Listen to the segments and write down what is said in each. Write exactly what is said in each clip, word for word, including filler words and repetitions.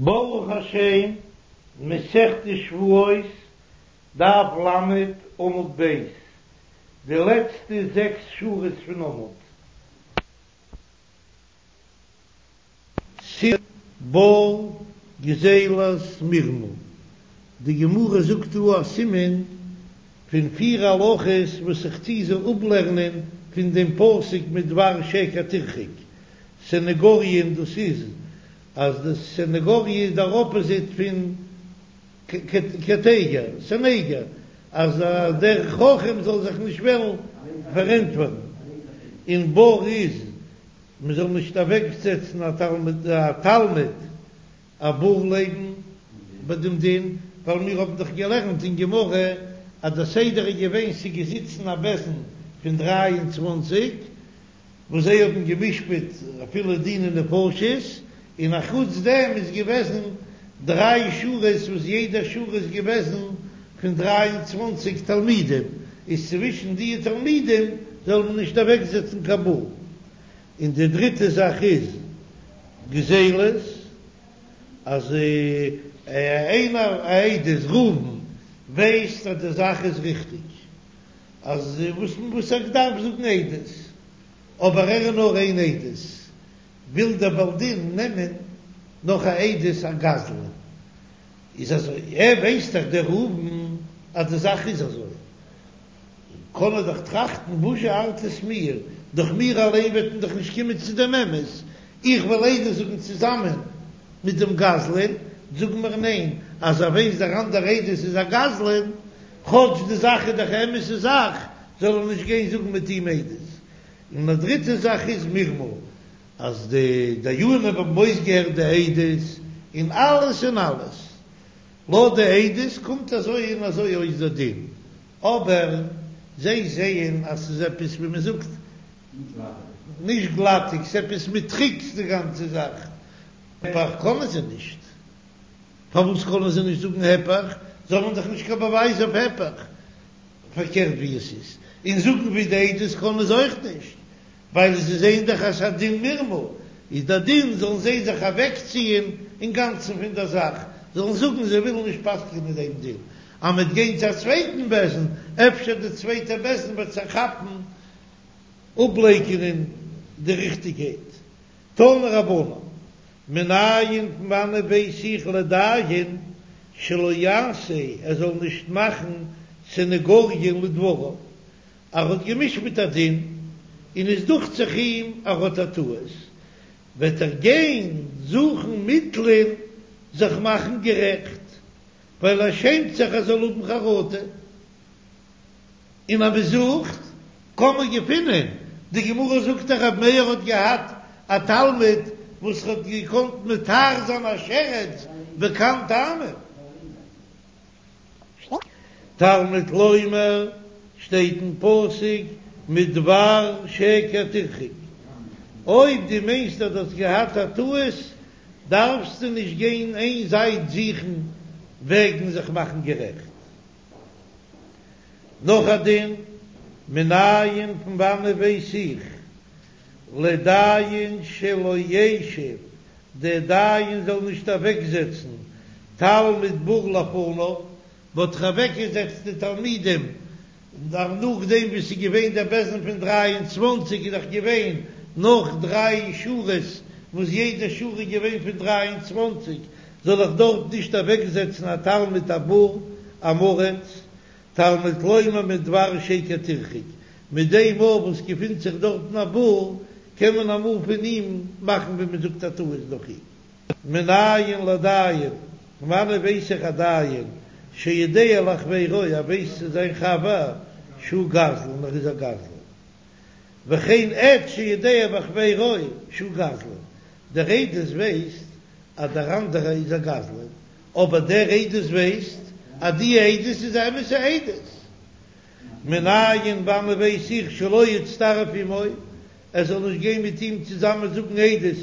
ברוך השם, מסכת שבועות, דף ל', עמוד ב', די לעצטע זעקס שורות פון עמוד. סימן בור גזילת מרמה, די גמרא זאגט דא א סימן פון פיר הלכות וואס איך טוה זיי אפלערנען פון דעם פסוק מדבר שקר תרחק, סניגוריא דאס איז אז די סניגוריא איז דער אפאזיט פון קטיגור, סניגור, אז דער חכם זאל זיך נישט וועלן פארענטפערן, און בור איז מען זאל נישט אוועקזעצן א תלמיד א תלמיד א בור לעבן ביי דעם דין, ווייל מיר האבן דאך געלערנט אין גמרא אז דער סדר איז געווען ס'איז געזיצן א בית דין פון דרײַ און צוואַנציק, וואס זיי האבן גע'משפט אפילו דיני נפשות, און א חוץ דעם איז געוועזן דריי שורות וואס יעדע שורה איז געוועזן פון דרײַ און צוואַנציק תלמידים, איז צווישן די תלמידים זאל מען נישט אוועקזעצן קיין בור. און די דריטע זאך איז גזילות, אז איינער א עדות ראובן ווייסט אז די זאך איז ריכטיג, אז וואס וואס ער דארף זאגן עדות, אבער ער איז נאר איין עדות, וויל דער בעל דין נעמען נאך א עדות א גזלן, איז אזוי, ער ווייסט דאך דער ראובן אז די זאך איז אזוי, קען ער דאך טראכטן וואזשע ארט עס מיר, דורך מיר אליין וועט מען דאך נישט קומען צו דעם אמת, איך וועל עדות זאגן צוזאמען מיט דעם גזלן, זאגן מיר ניין, אז ער ווייסט דער אנדער עדות איז א גזלן, כאטש די זאך איז דאך א אמת'ע זאך, זאל ער נישט גיין זאגן מיט אים עדות. און א דריטע זאך איז מרמה, אז די דיינים האבן אויסגעהערט די עדות און אלעס און אלעס, לויט די עדות קומט אזוי און אזוי אויס דער דין, אבער זיי זעען אז ס'איז עפעס ווי מ'זאגט נישט גלאטיג, ס'איז עפעס מיט טריקס די גאנצע זאך, היפך קענען זיי נישט. פארוואס קענען זיי נישט זאגן היפך? זיי האבן דאך נישט קיין באווייז אויף היפך, פארקערט ווי עס איז, און זאגן ווי די עדות קענען זיי אויך נישט, ווייל זיי זעען דאך אז ס'איז א דין מרמה, איז דער דין זאלן זיי זיך אוועקציען אינגאנצן פון דער זאך, זאלן זאגן זיי ווילן נישט פסק'ענען דעם דין, אז מ'וועט גיין צו א צווייטן בית דין, אפשר די צווייטע בית דין וועט זיך כאפן אפלייקענען די ריכטיגקייט. תנו רבנן, מנין פון וואנען ווייס איך לדיין שלא יעשה ער זאל נישט מאכן סניגוריא לדבריו, ער האט גע'משפט א דין און עס דוכט זיך אים ער האט א טעות, וועט ער גיין זוכן מיטלען זיך מאכן גערעכט, ווייל ער שעמט זיך ער זאל האבן חרטה. און אז מען זוכט קען מען געפינען, די גמרא זאגט אז רבי מאיר האט געהאט א תלמיד וואס האט געקאנט מטהר זיין א שרץ בק"ן טעמים. תלמוד לומר שטייט אין פסוק מדבר שקר תרחק, אויב דו מיינסט אז דו האסט געהאט א טעות דארפסטו נישט גיין איין זייט זוכן וועגן זיך מאכן גערעכט. נאך א דין, מנין פון וואנען ווייס איך, לדיין שלא ישב, דער דיין זאל נישט אוועקזעצן תלמיד בור לפניו, מ'האט דאך אוועקגעזעצט די תלמידים נאכדעם ווי ס'איז געווען דער בית דין פון דרײַ און צוואַנציק איז דאך געווען נאך דריי שורות וואס יעדע שורה איז געווען פון דרײַ און צוואַנציק, זאל איך דארט נישט אוועקזעצן א תלמיד א בור עם הארץ, תלמוד לומר מדבר שקר תרחק, מיט דעם מאל וואס געפינט זיך דארטן א בור, קען מען אמאל פון אים מאכן ווי מען זאגט א טעות דורך אים. מנין לדיין, פון וואנעט ווייס איך א דיין שיודע לחבירו, ער ווייסט צו זיין חבר שהוא גזלן, ער איז א גזלן. וכן עד שיודע בחבירו שהוא גזלן, דער עדות ווייסט אז דער אנדערער איז א גזלן, אבער דער עדות ווייסט אז די עדות איז א אמת'ע עדות. מנין וואנען ווייס איך שלא יצטרף עמו, ער זאל נישט גיין מיט אים צוזאמען זאגן עדות,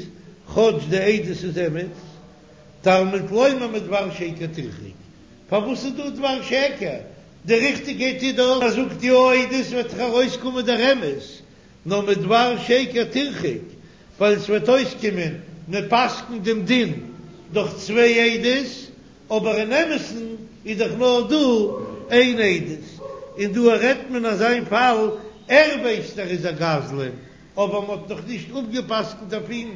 כאטש די עדות איז אמת. תלמוד לומר מדבר שקר תרחק, פארוואס איז דא דבר שקר? די ריכטיגקייט איז דאך אז זאגט יא עדות וועט דאך ארויסקומען דער אמת, נאר מדבר שקר תרחק, ווייל עס וועט אויסקומען מען פסק'נט דעם דין דורך צוויי עדות, אבער אין אמת'ן איז דאך נאר דא איין עדות, און דא רעדט מען אזא פאל, ער ווייסט ער איז א גזלן, אבער מען האט נאך נישט אפגע'פסק'נט אויף אים,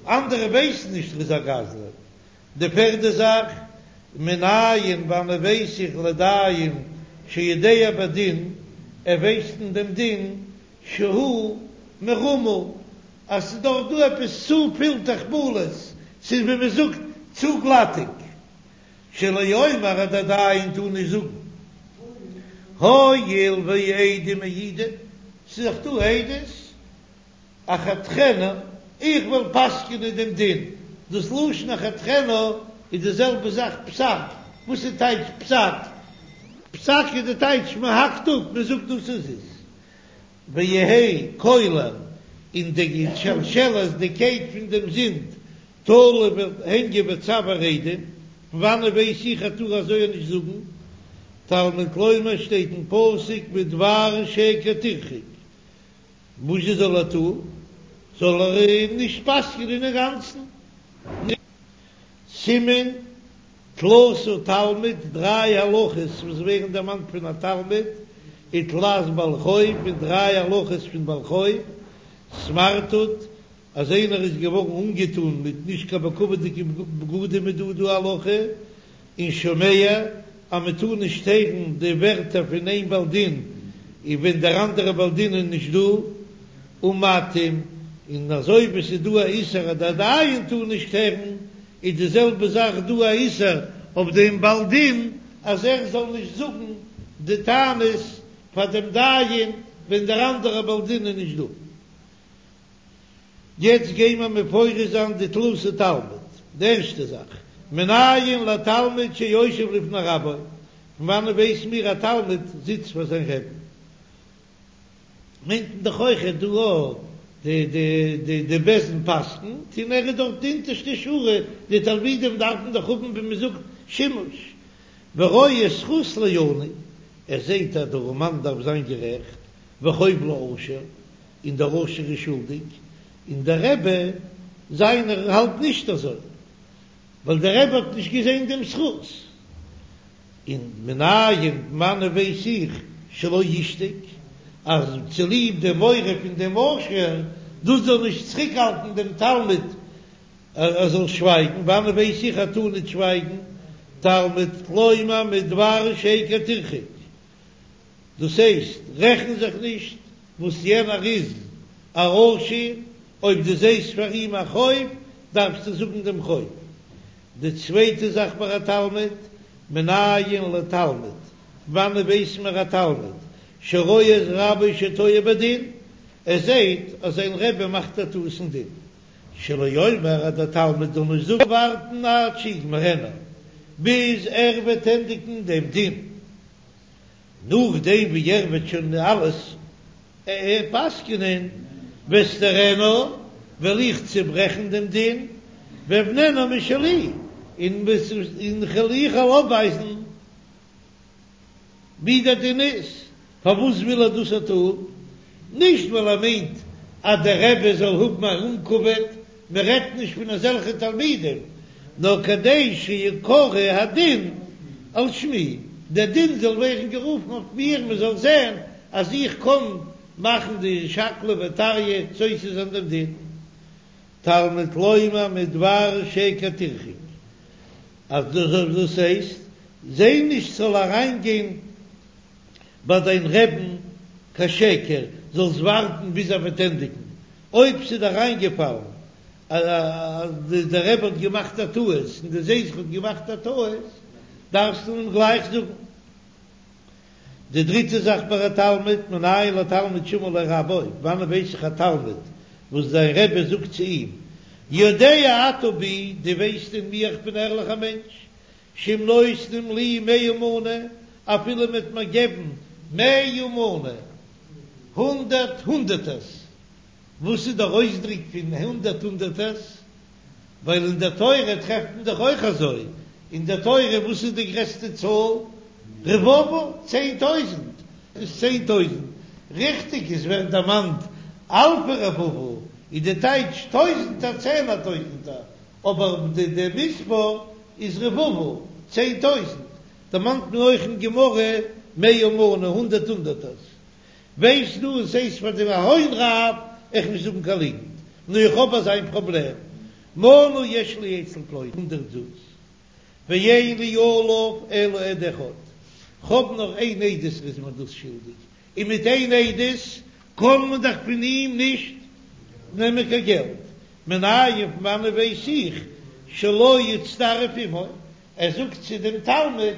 אנדערע ווייסן נישט ער איז א גזלן. די פערדע זאך, מנין וואנען ווייס איך לדיין שיודע בדין, ער ווייסט אין דעם דין, שהוא מרמה, אז ס'איז דאך דא עפעס צופיל תחבולות, ס'איז ווי מ'זאגט צו גלאטיג, שלא יאמר אז דער דיין טאר נישט זאגן, הואיל והעדים מעידים, ס'איז דאך דא עדות, אחתכנה, איך וועל פסק'ענען דעם דין, דאס לשון אחתכנה איז די זעלבע זאך פסק, וואס איז טייטש פסק? פסק איז די טייטש מען האקט אפ, מען זאגט דאס איז עס, ויהא קולר, און די שלשלת, די קייט פון דעם זינד, תלוי וועט הענגען בצוואר עדים, פון וואנען ווייס איך אז טאר אזוי נישט זאגן? תלמוד לומר שטייט אין פסוק מדבר שקר תרחק, וואס זאל ער טון? זאל ער נישט פסק'נען אינגאנצן? סימן תלתא תלמיד, דריי הלכות וואס ווערן דערמאנט פון א תלמיד, ותלת בעל חוב, און דריי הלכות פון בעל חוב, סמרטוט, אז איינער איז געווארן אנגעטון מיט נישט קיין בכבוד'דיגע בגדים איז דא דא א הלכה, און שומע אז מען טאר נישט הערן די ווערטער פון איין בעל דין און ווען דער אנדערע בעל דין איז נישט דא, ומטעים, און אזוי ווי ס'איז דא א איסור אז דער דיין טאר נישט הערן, איז די זעלבע זאך דא א איסור אויף דעם בעל דין אז ער זאל נישט זאגן די טענות פאר דעם דיין ווען דער אנדערע בעל דין איז נישט דא. יעצט גייען מיר מפרש זיין די תלתא תלמיד, די ערשטע זאך, מנין לתלמיד שיושב לפני רבו, פון וואנען ווייס מיר א תלמיד זיצט פאר זיין רעבן? מיינט מען דאך אויכעט דא אויך די די די די בית דין פסק'נט און ער איז דארט די אונטערשטע שורה, די תלמידים דארפן דאך האבן ווי מען זאגט שימוש, ורואה זכות לעני, ער זעט אז דער ארעמאן דארף זיין גערעכט, וחוב לעשיר, און דער עשיר איז שולדיג, און דער רבי זיינער האלט נישט אזוי, ווייל דער רבי האט נישט געזען דעם זכות, און מנין פון וואנען ווייס איך שלא ישתוק, אז צוליב די מורא פון דעם עשיר, דאס זאל נישט צוריקהאלטן דעם תלמיד ער זאל שווייגן, וואנען ווייס איך ער טאר נישט שווייגן, תלמוד לומר מדבר שקר תרחק. דאס הייסט, רעכן זיך נישט וואס יענער איז א עשיר, אויב דו זעסט פאר אים א חוב, דארפסטו זאגן דעם חוב. די צווייטע זאך ביי א תלמיד, מנין לתלמיד, וואנען ווייס מיר א תלמיד שרואה את רבו שטועה בדין, ער זעט אז זיין רבי מאכט א טעות אין דין, שלא יאמר אז דער תלמיד זאל נישט זאגן ווארטן עד שיגמרנה, ביז ער וועט ענדיגן דעם דין. נאכדעם ווי ער וועט שוין אלעס פסק'נען, ואסתרנה, וועל איך צוברעכן דעם דין, ואבננה משלי, און איך וועל אויפווייזן ווי דער דין איז. פארוואס וויל ער דאס טון? נישט ווייל ער מיינט אז דער רבי זאל האבן א אומ'כבוד, מען רעדט נישט פון אזעלכע תלמידים, נאר כדי שיקרא הדין על שמי, דער דין זאל ווערן גערופן אויף מיר, מען זאל זען אז איך קען מאכן די שקלא וטריא סותר זיין דעם דין. תלמוד לומר מדבר שקר תרחק, אז דאס הייסט, זע נישט ס'זאל אריינגיין ביי דיין רעבן קיין שקר, זאלסט ווארטן ביז ער וועט ענדיגן, אויב ס'איז אריינגעפאלן אז דער רבי האט געמאכט א טעות און דו זעסט ער האט געמאכט א טעות, דארפסטו אים גלייך זאגן. די דריטע זאך ביי א תלמיד, מנין לתלמיד שאמר לו רבו, וואנען ווייס איך א תלמיד וואס זיין רבי זאגט צו אים, יודע אתה בי, דו ווייסט אין מיר איך בין א ערליכער מענטש, שאם נותנים לי מאה מנה, אפילו מ'וועט מיר געבן מאה מנה, הונדערט הונדערטערס, וואס איז דער אויסדרוק פון הונדערט הונדערטערס? ווייל אין דער תורה טרעפט מען דאך אויך אזוי, אין דער תורה וואס איז די גרעסטע צאל? רבבה, צען טויזנט, איז צען טויזנט, ריכטיג עס ווערט דערמאנט אלפי רבבה, איז די טייטש טויזנטער צענער טויזנטער, אבער די די מספר איז רבבה, צען טויזנט, דערמאנט מען אויך אין גמרא מאה מנה, הונדערט הונדערטערס. ווייסט דו עס הייסט פאר דעם הון רב איך נישט זאגן קיין ליגנט, נו איך האב אזא פראבלעם, מנה יש לי אצל פלוני הונדערט זוז, ואין לי עליו אלא עד אחד, כ'האב נאר איין עדות וואס איז מיר דאס שולדיג, און מיט איין עדות קען מען דאך פון אים נישט נעמען קיין געלט, מנין פון וואנען ווייס איך שלא יצטרף עמו, ער זאגט צו דעם תלמיד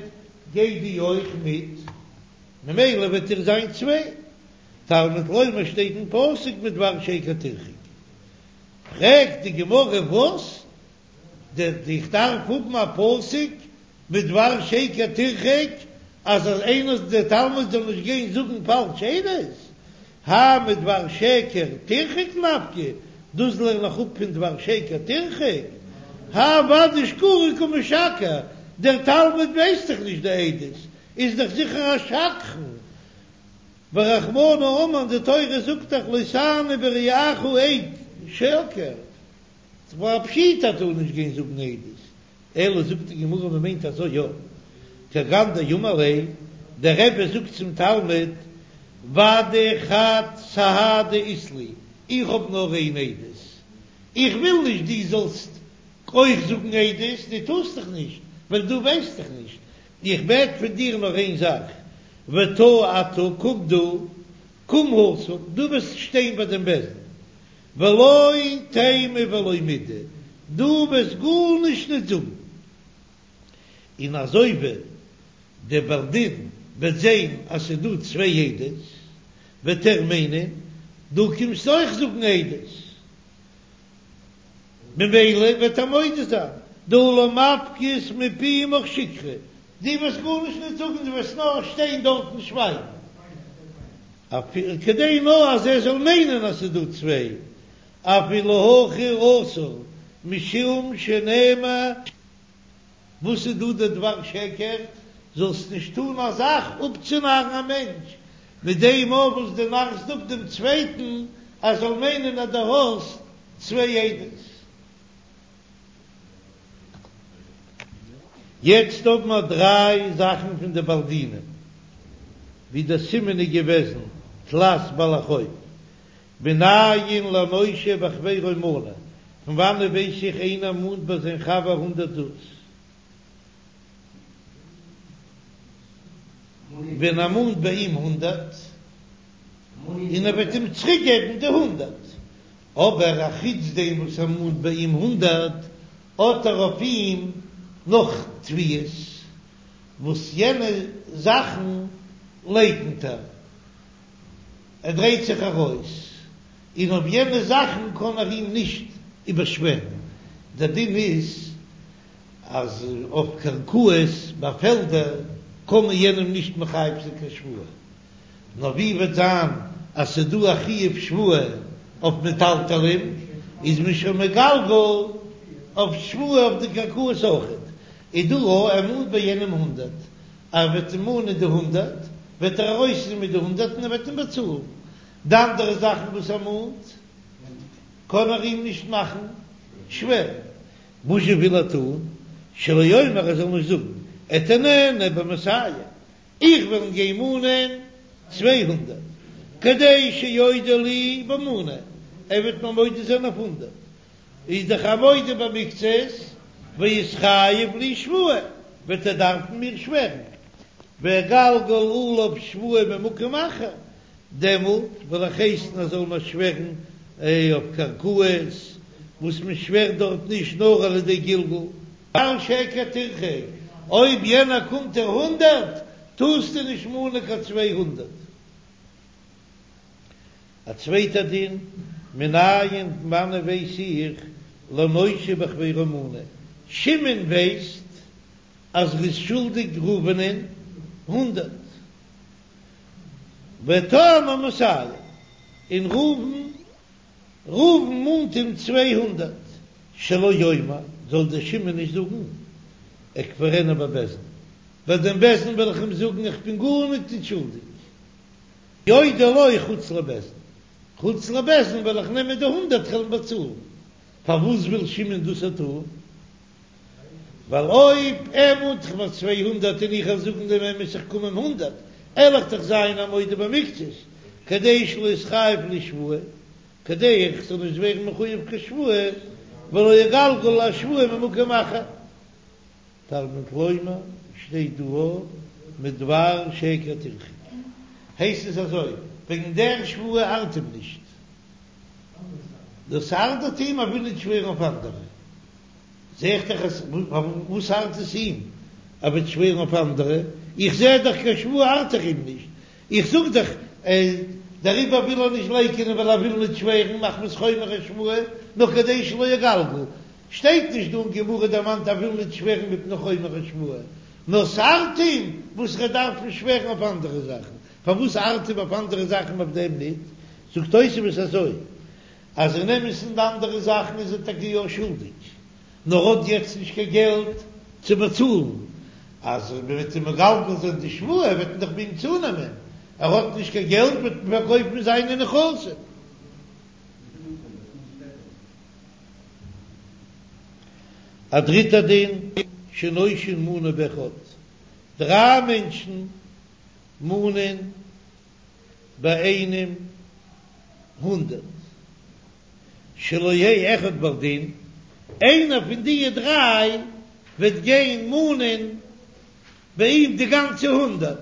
גיי דו אויך מיט, ממילא וועט איר זיין צוויי, תלמוד לומר שטייט אין פסוק מדבר שקר תרחק, פרעגט די גמרא וואס איך דארף האבן א פסוק מדבר שקר תרחק אז איינער דער תלמיד זאל נישט גיין זאגן פאלש עדות, האי מדבר שקר תרחק נפקא, דאס לערן איך אפ פון דבר שקר תרחק, האי ודאי שקורי קא משקר, דער תלמיד ווייסט דאך נישט די עדות, איז דאך זיכער א שקרן, ורחמנא אמר די תורה זאגט דאך לא תענה ברעך עד שקר, ס'איז א פשיטא טאר נישט גיין זאגן עדות, אלא זאגט די גמרא מען מיינט אזוי יא, כגון דאמר ליה, דער רבי זאגט צום תלמיד, ודאי חד סהדא אית לי, איך האב נאר איין עדות, איך וויל נישט דו זאלסט אויך זאגן עדות, דו טארסט דאך נישט, ווייל דו ווייסט דאך נישט, איך בעט פון דיר נאר איין זאך, ותא אתה, קום דו, קום התם, דו וועסט שטיין ביי דעם בית דין, ולא תימא ולא מידי, דו וועסט גארנישט נישט זאגן, און אזוי ווי דער בעל דין וועט זען אז ס'איז דא צוויי עדות, וועט ער מיינען דו קומסט אויך זאגן עדות, ממילא וועט ער מודה זיין, דהא לא מפקת מפומך שיקרא, דו וועסט גארנישט נישט זאגן, דו וועסט נאר שטיין דארט און שווייגן. כדי נאר אז ער זאל מיינען אז ס'איז דא צוויי, אפילו הכי אסור, משום שנאמר. וואס איז דא די דבר שקר? זאלסט נישט טון א זאך אפצונארן א מענטש, מיט דעם אויך וואס דו נארסט אפ דעם צווייטן ער זאל מיינען אז דו האסט צוויי עדות. יעצט האבן מיר דריי זאכן פון די בעלי דינים, ווי דער סימן איז געוועזן תלת בעלי חוב, מנין לנושה בחבירו מנה, פון וואנעט ווייס איך איינער מאנט ביי זיין חבר הונדערט זוז, ווען ער מאנט ביי אים הונדערט, און ער וועט אים צוריק געבן די הונדערט, אבער א חוץ דעם וואס ער מאנט ביי אים הונדערט, האט ער אויף אים נאך תביעות, וואס יענע זאכן לייקנט ער, ער דרייט זיך ארויס, און אויף יענע זאכן קען ער אים נישט איבערשווערן. דער דין איז אז אויף קרקעות ביי פעלדער קען מען יענעם נישט מחייב זיין קיין שבועה, נאר ווי וועט זיין אז ס'איז דא א חיוב שבועה אויף מטלטלין, איז מען שוין מגלגל אויף שבועה אויף די קרקעות אויכעט. איז דא א ער מאנט ביי יענעם הונדערט, ער וועט אים מאנען די הונדערט, וועט ער ארויסגיין מיט די הונדערט און ער וועט אים באצאלן. די אנדערע זאכן וואס ער מאנט, קען ער אים נישט מאכן שווערן. וואס זשע וויל ער טון? שלא יאמר ער זאל נישט זאגן, אתננו במאתים, איך וועל אים גיין מאנען צוויי הונדערט, כדי שיודה לי במנה, ער וועט מיר מודה זיין אויף הונדערט, איז דאך א מודה במקצת, ויתחייב לי שבועה, וועט ער דארפן מיר שווערן, ואגלגל עליו שבועה ממקום אחר, דעמאלט וועל איך הייסן ער זאל מיר שווערן אויף קרקעות, וואס מען שווערט דארט נישט נאר על ידי גלגול. דבר שקר תרחק, אויב יענער קומט דיר הונדערט, טארסטו נישט מאנען קיין צוויי הונדערט. א צווייטע דין, מנין פון וואנען ווייס איך לנושה בחבירו מנה, שמעון ווייסט אז ער איז שולדיג ראובנ'ען הונדערט, וטענו מאתים, און ראובן ראובן מאנט אים צוויי הונדערט, שלא יאמר, זאל דער שמעון נישט זאגן, אכפרנו בבית דין, ביי דעם בית דין וועל איך אים זאגן איך בין גארניט נישט שולדיג, יודה לו חוץ לבית דין, חוץ לבית דין וועל איך נעמען די הונדערט כ'וועל אים באצאלן, פארוואס וויל שמעון דאס טון? ווייל אויב ער מאנט זיך מיר צוויי הונדערט און איך וועל זאגן דעם אמת איך קום אים הונדערט, על איך דאך זיין א מודה במקצת, כדי שלא יתחייב לי שבועה, כדי איך זאל נישט ווערן מחויב קיין שבועה, ולא יגלגל השבועה ממקום אחר. תלמוד לומר, שטייט דא מדבר שקר תרחק. הייסט עס אזוי, וועגן דער שבועה ארט אים נישט. דאס ארט אים ער וויל נישט שווערן אויף אנדערע. זע איך דאך אז וואס ארט עס אים ער וועט שווערן אויף אנדערע? איך זע דאך קיין שבועה ארט דאך אים נישט. איך זאג דאך דעריבער וויל ער נישט לייקענען ווייל ער וויל נישט שווערן מחמת חומר השבועה, נאר כדי שלא יגלגל. שטייט נישט דא אין גמרא דערמאנט ער וויל נישט שווערן מפני חומר השבועה, נאר ס'ארט אים וואס ער דארף נישט שווערן אויף אנדערע זאכן. פארוואס ארט אים אויף אנדערע זאכן אויף דעם ניט? זאגט תוספות אזוי, אז אין אמת'ן די אנדערע זאכן איז ער טאקע יא שולדיג, נאר האט יעצט נישט קיין געלט צו באצאלן, אז מען וועט אים מגלגל זיין די שבועה וועט מען דאך ביי אים צונעמען, ער האט נישט קיין געלט וועט מען פארקויפן זיינע נכסים. א דריטע דין, שנושין מנה באחד, דריי מענטשן מאנען ביי איינעם הונדערט, שלא יהא אחד בעל דין, איינער פון די דריי וועט גיין מאנען ביי אים די גאנצע הונדערט,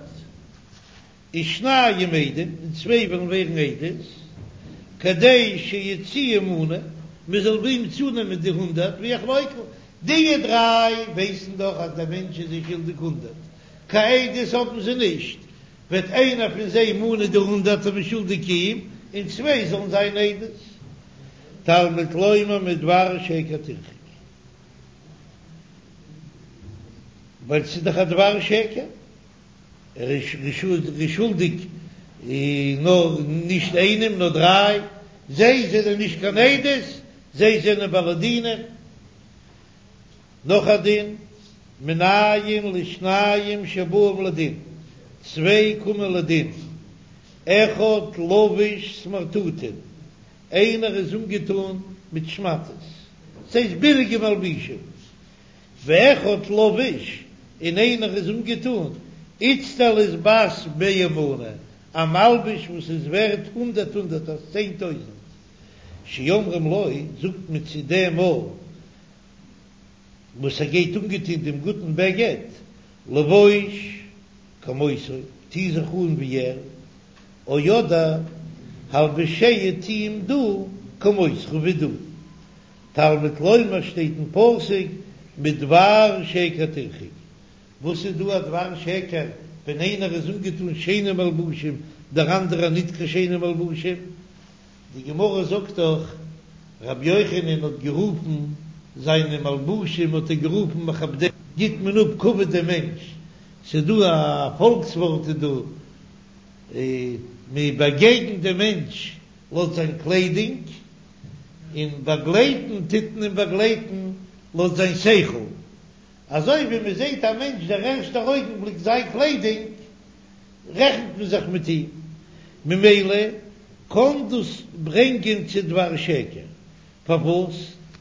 ושניים עדים, און צוויי וועלן ווערן עדות, כדי שיוציאו מנה, מען זאל ביי אים צונעמען די הונדערט, ויחלוקו, די דריי ווייסן דאך אז דער מענטש איז זיי שולדיג הונדערט, קיין עדות האבן זיי נישט, וועט איינער פון זיי מאנען די הונדערט און שולדיג אים, און צוויי זאלן זיין עדות. תלמוד לומר מדבר שקר תרחק. ווייל ס'איז דאך א דבר שקר, ער איז שולדיג נאר נישט איינעם נאר דריי, זיי זענען נישט קיין עדות, זיי זענען בעלי דינים. נאך א דין, מנין לשניים שבאים לדין, צוויי קומען לדין, אחד לבוש סמרטוטין, איינער איז אנגעטון מיט שמאטעס, ס'הייסט ביליגע מלבישים, ואחד לבוש, און איינער איז אנגעטון איצטלית בת מאה מנה, א מלבוש וואס איז ווערט הונדערט הונדערט, צען טויזנט, שאומרים לו, זאגט מען צו דעם א וואס ער גייט אנגעטון דעם גוטן בגד, לבוש כמותו, טו זיך אן ווי ער, או אדער הלבשהו טו אים דו כמותך ווי דו. תלמוד לומר שטייט אין פסוק מדבר שקר תרחק. וואס איז דא א דבר שקר ווען איינער איז אנגעטון שיינע מלבושים דער אנדערער ניט קיין שיינע מלבושים? די גמרא זאגט דאך, רבי יוחנן האט גערופן זיינע מלבושים האט ער גערופן מכבדי, גיט מען אפ כבוד דעם מענטש, ס'איז דא א פאלקס ווארט איז דא, מען באגעגנט דעם מענטש לויט זיין קליידונג, און באגלייטן טוט מען אים באגלייטן לויט זיין שכל, אזוי ווי מען זעט א מענטש דער ערשטער אויגנבליק זיין קליידונג, רעכנט מען זיך מיט אים, ממילא קען דאס ברענגען צו דבר שקר, פארוואס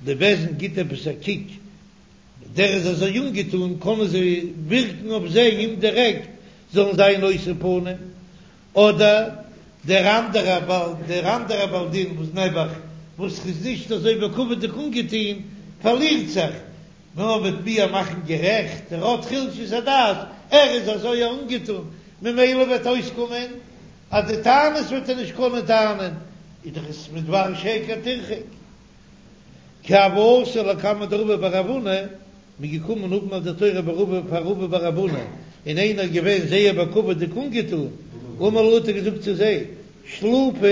די בית דין גיט עפעס א קוק, דער איז אזוי אנגעטון, קענען זיי ווירקן אויף זיי אומדירעקט זאלן זיין נושא פנים, אדער דער אנדערער בעל דער אנדערער בעל דין וואס נעבעך וואס איז נישט אזוי בכבוד'יג אנגעטון פארלירט זיך, מען וועט מיר מאכן גערעכט, ער האט חולשת הדעת, ער איז אזוי אנגעטון, ממילא וועט אויסקומען אז די טענות וועט ער נישט קענען טענה'ן, איז דאך עס מדבר שקר תרחק. כי הוו אתו לקמיה דרבא בר רב הונא, מ'איז געקומען האבן א דין תורה ביי רבא פאר רבא בר רב הונא, און איינער איז געווען זייער בכבוד'יג אנגעטון, אמר להו האט ער געזאגט צו זיי, שלופו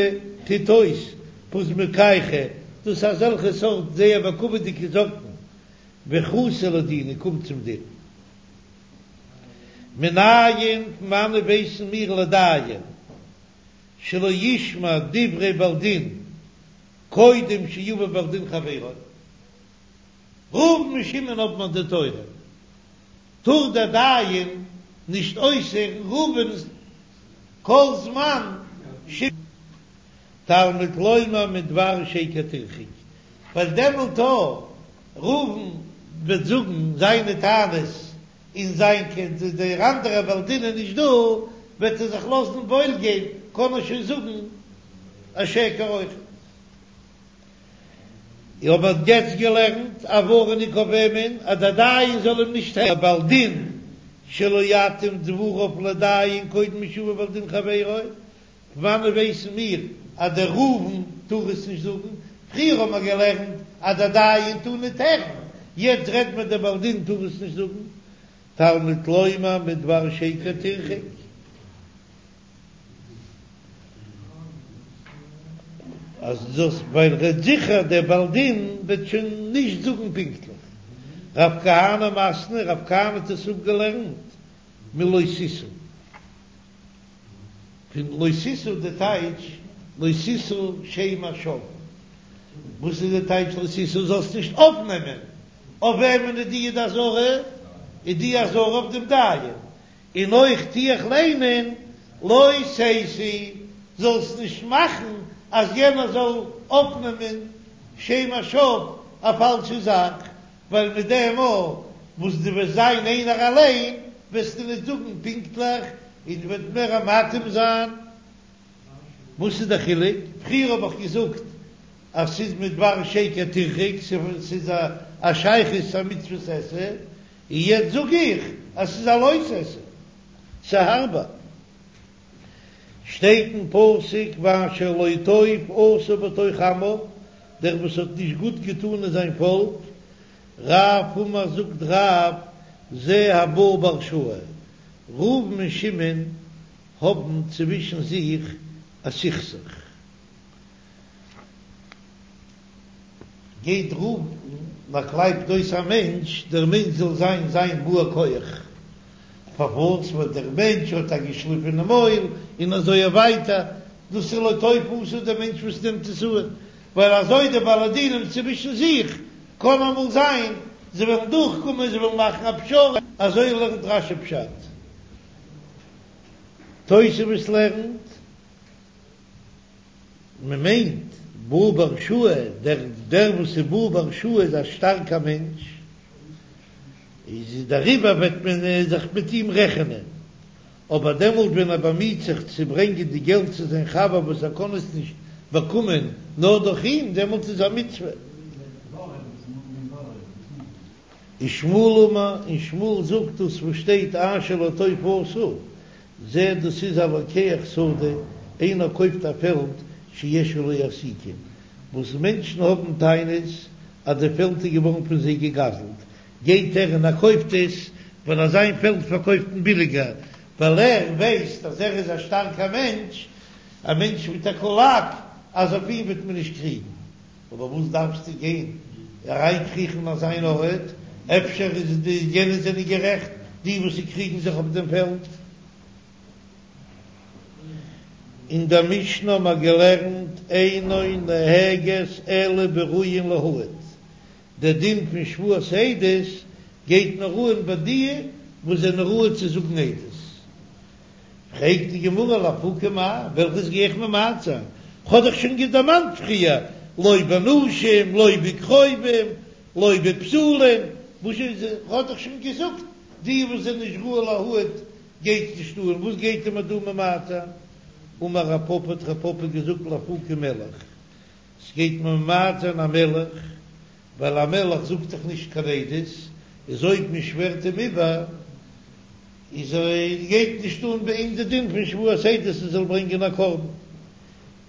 טוט אויס פוזמקייכו, דאס איז אזעלכע סארט זייער בכבוד'יגע זאקן, וחתו לדינא קומט צום דין. מנין פון וואנען ווייסן מיר לדיין שלא ישמע דברי בעל דין קודם שיבא בעל דין חברו. ראובן און שמעון האבן א דין תורה, טאר דער דיין נישט אויסהערן ראובן'ס כל זמן שמעון. תלמוד לומר מדבר שקר תרחק, ווייל דעמאלט אויב ראובן וועט זאגן זיינע טענות און זיין דער אנדערער בעל דין איז נישט דא, וועט ער זיך לאזן וואויל גיין, קען ער שוין זאגן א שקר אויכעט. איך האב יעצט געלערנט א ווארענונג אויף וועמען אז דער דיין זאל אים נישט הערן, בעל דין שלא יתאים דבריו לדיין קודם שיבא בעל דין חברו, פון וואנען ווייסן מיר אז דער ראובן טאר עס נישט זאגן? פריער האבן מיר געלערנט אז דער דיין טאר ניט הערן, יעצט רעדט מען דער בעל דין טאר עס נישט זאגן. תלמוד לומר מדבר שקר תרחק. אז דאס ווייל רעדט זיכער דער בעל דין וועט שוין נישט זאגן פונקטליך. רב כהנא מתני, רב כהנא האט עס אפגעלערנט מלא תשא. פון לא תשא די טייטש לא תשא שם השוא. וואס איז די טייטש לא תשא? זאלסט נישט אויפנעמען. אויף וועמען איז די די אזהרה? איז די אזהרה אויף דעם דיין. און אויך טו איך ליינען לא תשיא, זאלסט נישט מאכן אז יענער זאל אויפנעמען שם השוא א פאלשע זאך, ווייל מיט דעם מאל וואס דו וועסט זיין איינער אליין וועסטו נישט זאגן פונקטליך און וועט מער מתאים זיין. וואס איז די חילוק? פריער האב איך געזאגט אז ס'איז מדבר שקר תרחק, ס'איז א שייכות צו א מצוות עשה, און יעצט זאג איך אז ס'איז א לא תעשה, ס'הארבער. שטייט אין פסוק ואשר לא טוב עשה בתוך עמיו, דער וואס האט נישט גוט געטאן אין זיין פאלק, רב אמר זאגט רב זה הבא בהרשאה, ראובן און שמעון האבן צווישן זיך א סכסוך. גייט ראובן און קלייבט אויס א מענטש, דער מענטש זאל זיין זיין בא כח, פארוואס? ווייל דער מענטש האט א געשליפענע מויל, און אזוי ווייטער, דאס איז לא טוב עשה דער מענטש וואס נעמט עס אן, ווייל אזוי די בעלי דינים צווישן זיך, קען אמאל זיין זיי וועלן דורכקומען, זיי וועלן מאכן א פשרה, אזוי לערנט רש"י פשט, תוספות לערנט. מען מיינט בא בהרשאה, דער דער וואס איז בא בהרשאה איז א שטארקע מענטש, איז דעריבער וועט מען זיך מיט אים רעכענען, אבער דעמאלט ווען ער באמיט זיך צו ברענגען די געלט צו זיין חבר וואס ער קען עס נישט באקומען נאר דורך אים, דעמאלט איז א מצוה. ושמואל אמר, און שמואל זאגט דאס וואס שטייט אשר לא טוב עשה, זה דאס איז הלוקח שדה, איינער קויפט א פעלד שיש עליה אזיקים, וואס מענטשן האבן טענות אז די פעלד איז געווארן פון זיי געגזלט, גייט ער און ער קויפט עס, ווייל אז זיין פעלד פארקויפט מען ביליגער, ווייל ער ווייסט אז ער איז א שטארקער מענטש, א מענטש מיט א קולאק, אז אויף אים וועט מען נישט קריגן. אבער וואס דארפסטו גיין אריינקריכן אין אזיין ארט, אפשר איז די יענע זענען גערעכט, די וואס קריגן זיך אויף דעם פעלד. אין דער משנה האבן מיר געלערנט אינה נוהגת אלא בראויין להעיד, דער דין פון שבועת עדות גייט נאר אן ביי די וואס זענען ראוי צו זאגן עדות. פרעגט די גמרא לאפוקי מאי, וועלכעס גיי איך ממעט זיין? כ'האב דאך שוין דערמאנט פריער, לא בנשים, לא בקרובים, לא בתולים, וואס איז, כ'האב דאך שוין געזאגט, די וואס זענען נישט ראוי להעיד גייט נישט אן, וואס גייט ער מיר דא ממעט זיין? אמר רב פפא האט רב פפא געזאגט לאפוקי מלך, ס'גייט מיר ממעט זיין א מלך, ווייל א מלך זאגט דאך נישט קיין עדות, איז אויב מען שווערט אים איבער, איז ער גייט נישט אן ביי אים די דין פון שבועת עדות ער זאל ברענגען א קרבן.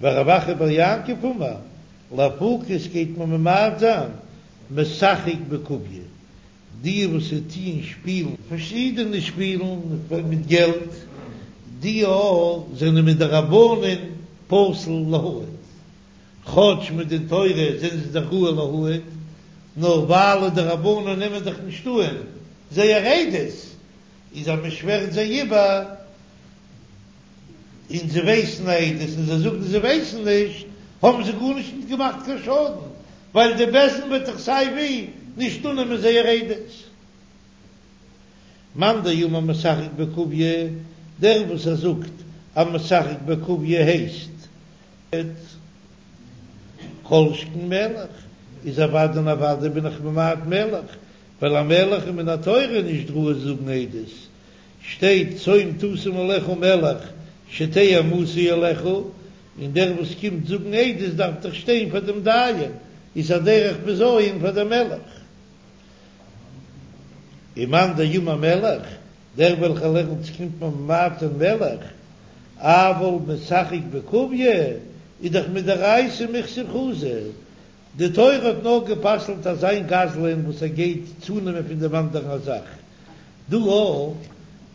ורב אחא בר יעקב אמר, לאפוקי ס'גייט מען ממעט זיין משחק בקוביא, די וואס טוען שפילן פארשידענע שפילן מיט געלט, די א זענען מדרבנן פסול להעיד, כאטש מדין תורה זענען זיי דאך ראוי להעיד, נאר ווייל די רבנן נעמען דאך נישט אן זייער עדות, איז אז מען שווערט זיי איבער און זיי ווייסן עדות און זיי זאגן זיי ווייסן נישט, האבן זיי גארנישט נישט געמאכט קיין שאדן, ווייל די בית דין וועט דאך סיי ווי נישט אננעמען זייער עדות. מאן דאמר משחק בקוביא, דער וואס ער זאגט אז משחק בקוביא הייסט כל שכן מלך, איז אוודאי און אוודאי בין איך ממעט מלך, ווייל א מלך איז מן התורה נישט ראוי זאגן עדות, שטייט שום תשים עליך מלך שתהא אימתו עליך, און דער וואס קומט זאגן עדות דארף דאך שטיין פאר דעם דיין, איז א דרך בזיון פאר דעם מלך. ומאן דאמר מלך, דער וועלכער לערנט ס'קומט מען ממעט זיין מלך, אבל משחק בקוביא, איז דאך מדאורייתא מיחזי חזי, די תורה האט נאר גע'פסל'ט אזא גזלן וואס ער גייט צונעמען פון דעם אנדערן א זאך, דא אויך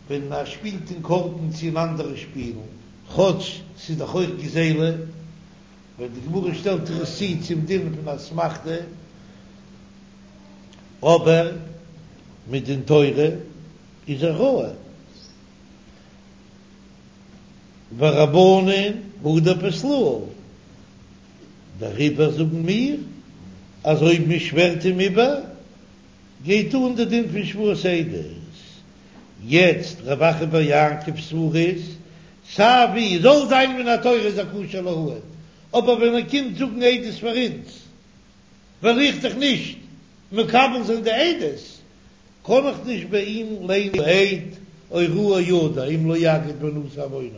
ווען ער שפילט אין קארטן צו אין אנדערע שפילן, כאטש ס'איז דאך אויך גזילה, ווייל די גמרא שטעלט זיך עס צו צום דין פון אסמכתא, אבער מדין תורה איז ער ראוי. ורבנן הוא דפסלוה, דעריבער זאגן מיר אז אויב מען שווערט אים איבער גייט אן די דין פון שבועת עדות. יעצט רב אחא בר יעקב'ס סברא איז סיי ווי זאל זיין מן התורה איז ער כשר להעיד, אבער ווען ער קומט זאגן עדות פאר אונז וועל איך דאך נישט מקבל זיין די עדות, קען איך נישט ביי אים ליינען העד או ראה ידע אם לא יגיד ונשא עוונו,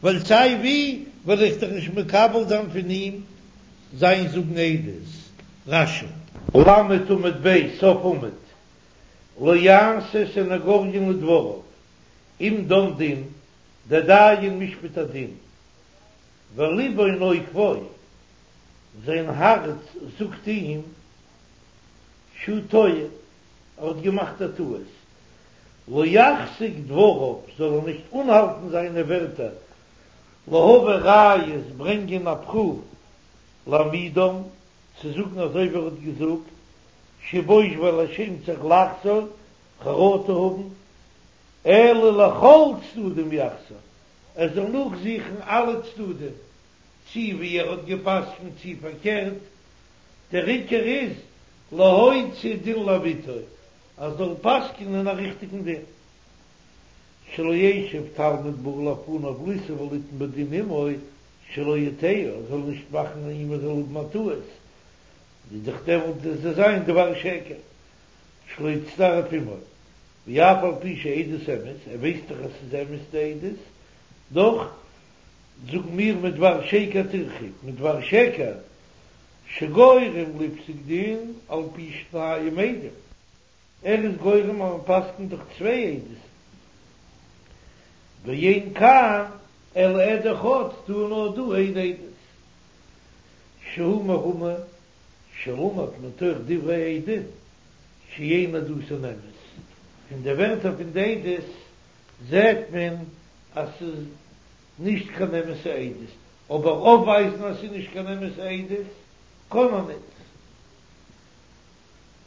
ווייל סיי ווי וועל איך דאך נישט מקבל זיין פון אים זיין זאגן עדות. רש"י. למד עמוד ב', סוף עמוד, לא יעשה סניגוריון לדבריו, אם דן דין, דער דיין משפט א דין, ולבו נוקפו, זיין הארץ זאגט אים שהוא טועה, ער האט געמאכט א טעות, לא יחזיק דבריו, זאל ער נישט אנהאלטן זיינע ווערטער, להביא ראיות, ברענגען א פרוף, להעמידם, צו זאגן אזוי ווי ער האט געזאגט, שבוש ווייל ער שעמט זיך לחזור, חרטה האבן, אלא לכל צדדים יחזור, ער זאל נאכזוכן אלע צדדים, צי ווי ער האט גע'פסק'נט צי פארקערט, דער עיקר איז להוציא דין לאמיתו, ער זאל פסק'נען א ריכטיגן דין. שלא ישב תלמיד בא לפניו לישא וליתן בדין עמו, שלא יטעהו, ער זאל נישט מאכן אים ער זאל האבן א טעות, איז דאך דעמאלט וועט עס זיין דבר שקר, שלא יצטרף עמו, ואף על פי שעדות אמת, ער ווייסט דאך אז ס'איז אמת די עדות, דאך זאגן מיר מדבר שקר תרחק, מדבר שקר שגורם לפסוק דין על פי שניים עדים, ער איז גורם אז מען פסק'נט דורך צוויי עדות, ואין כאן אלא עד אחד, דא איז נאר דא איין עדות, שהוא מרמה שלמד מתוך דברי עדים שאין עדותן אמת, פון די ווערטער פון די עדות זעט מען אז ס'איז נישט קיין אמת'ע עדות, אבער אויפווייזן אז ס'איז נישט קיין אמת'ע עדות קען מען ניט.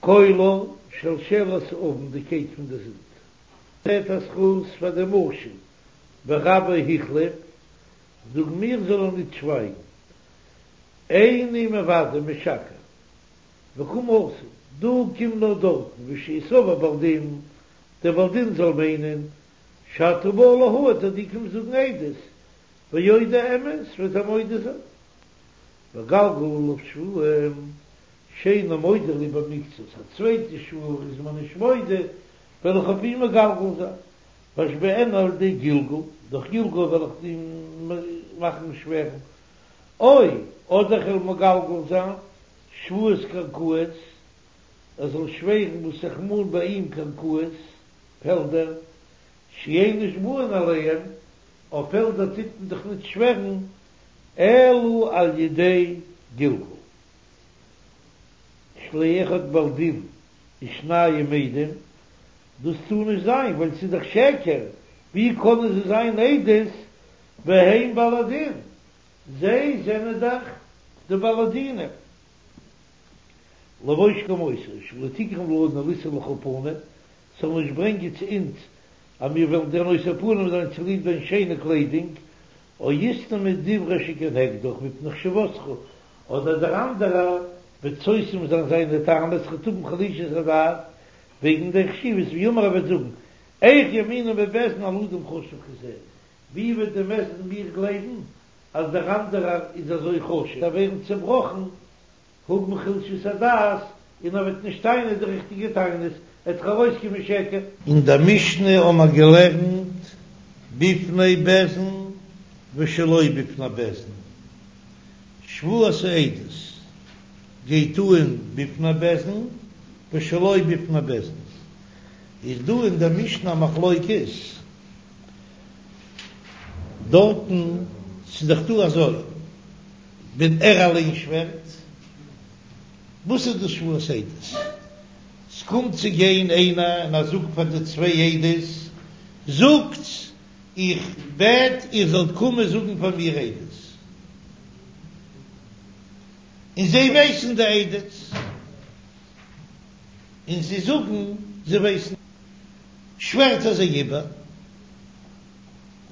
קולר, שלשלת העוון, די קייט פון די זינד. זעט א זכות פאר די משל, ורבו החליף, זאגן מיר זאל ער ניט שווייגן. איני מודה משקר. וקא מתי, דו קום נאר דארטן ושיסבור בעל דין, דער בעל דין זאל מיינען שאתה בא להעיד אז דו קומסט זאגן עדות, ויודה אמת וועט ער מודה זיין. ואגלגל עליו שבועה שאינו מודה לי במקצת, א צווייטע שבועה איז מען נישט מודה, וועל איך אויף אים מגלגל זיין, ואשביענו על ידי גלגול, דורך גלגול וועל איך אים מאכן שווערן, או אדער כ'וועל מגלגל זיין שבועת קרקעות, ער זאל שווערן וואס איך מאן ביי אים קרקעות, פעלדער, שאין נשבעין עליהם, אויף פעלדער טוט מען דאך ניט שווערן, אלא על ידי גלגול. שלא יהא אחד בעל דין ושניים עדים, דאס טאר נישט זיין ווייל ס'איז דאך שקר, ווי קענען זיי זיין עדות והם בעלי דין, זיי זענען דאך די בעלי דינים. לבוש כמותו, שלא תגרום לנו לישא לך פנים, ס'זאל נישט ברענגען צו אונז אז מיר וועלן דיר נושא פנים זיין צוליב דיין שיינע קליידונג, או יסתמו דברי שכנגדך מפני חשיבותך, אדער דער אנדערער וועט סותם זיין זיינע טענות ער וועט האבן חלישות הדעת וועגן דיין חשיבות, ויאמר ער וועט זאגן, איך יאמינו בית דין על אדם חשוב כזה, ווי וועט די בית דין מיר גלייבן אז דער אנדערער איז אזוי חשוב, ווערן צעבראכן האבן חולשת הדעת און ער וועט נישט טענה'ן די ריכטיגע טענות, עט דאך ארויסקומען שקר. אין דער משנה האבן מיר געלערנט בפני בית דין ושלא בפני בית דין, שבועת העדות גייט אן בפני בית דין ושלא בפני בית דין, איז דא אין דער משנה א מחלוקת דארטן, ס'איז דאך דא אזוי ווען ער אליין שווערט, וואס איז דאס שבועת עדות? ס'קומט צו גיין איינער און ער זאגט פאר די צוויי עדות, זאגטס, איך בעט איר זאלט קומען זאגן פאר מיר עדות. און זיי ווייסן די עדות, און זיי זאגן זיי ווייסן. שווערט ער זיי איבער,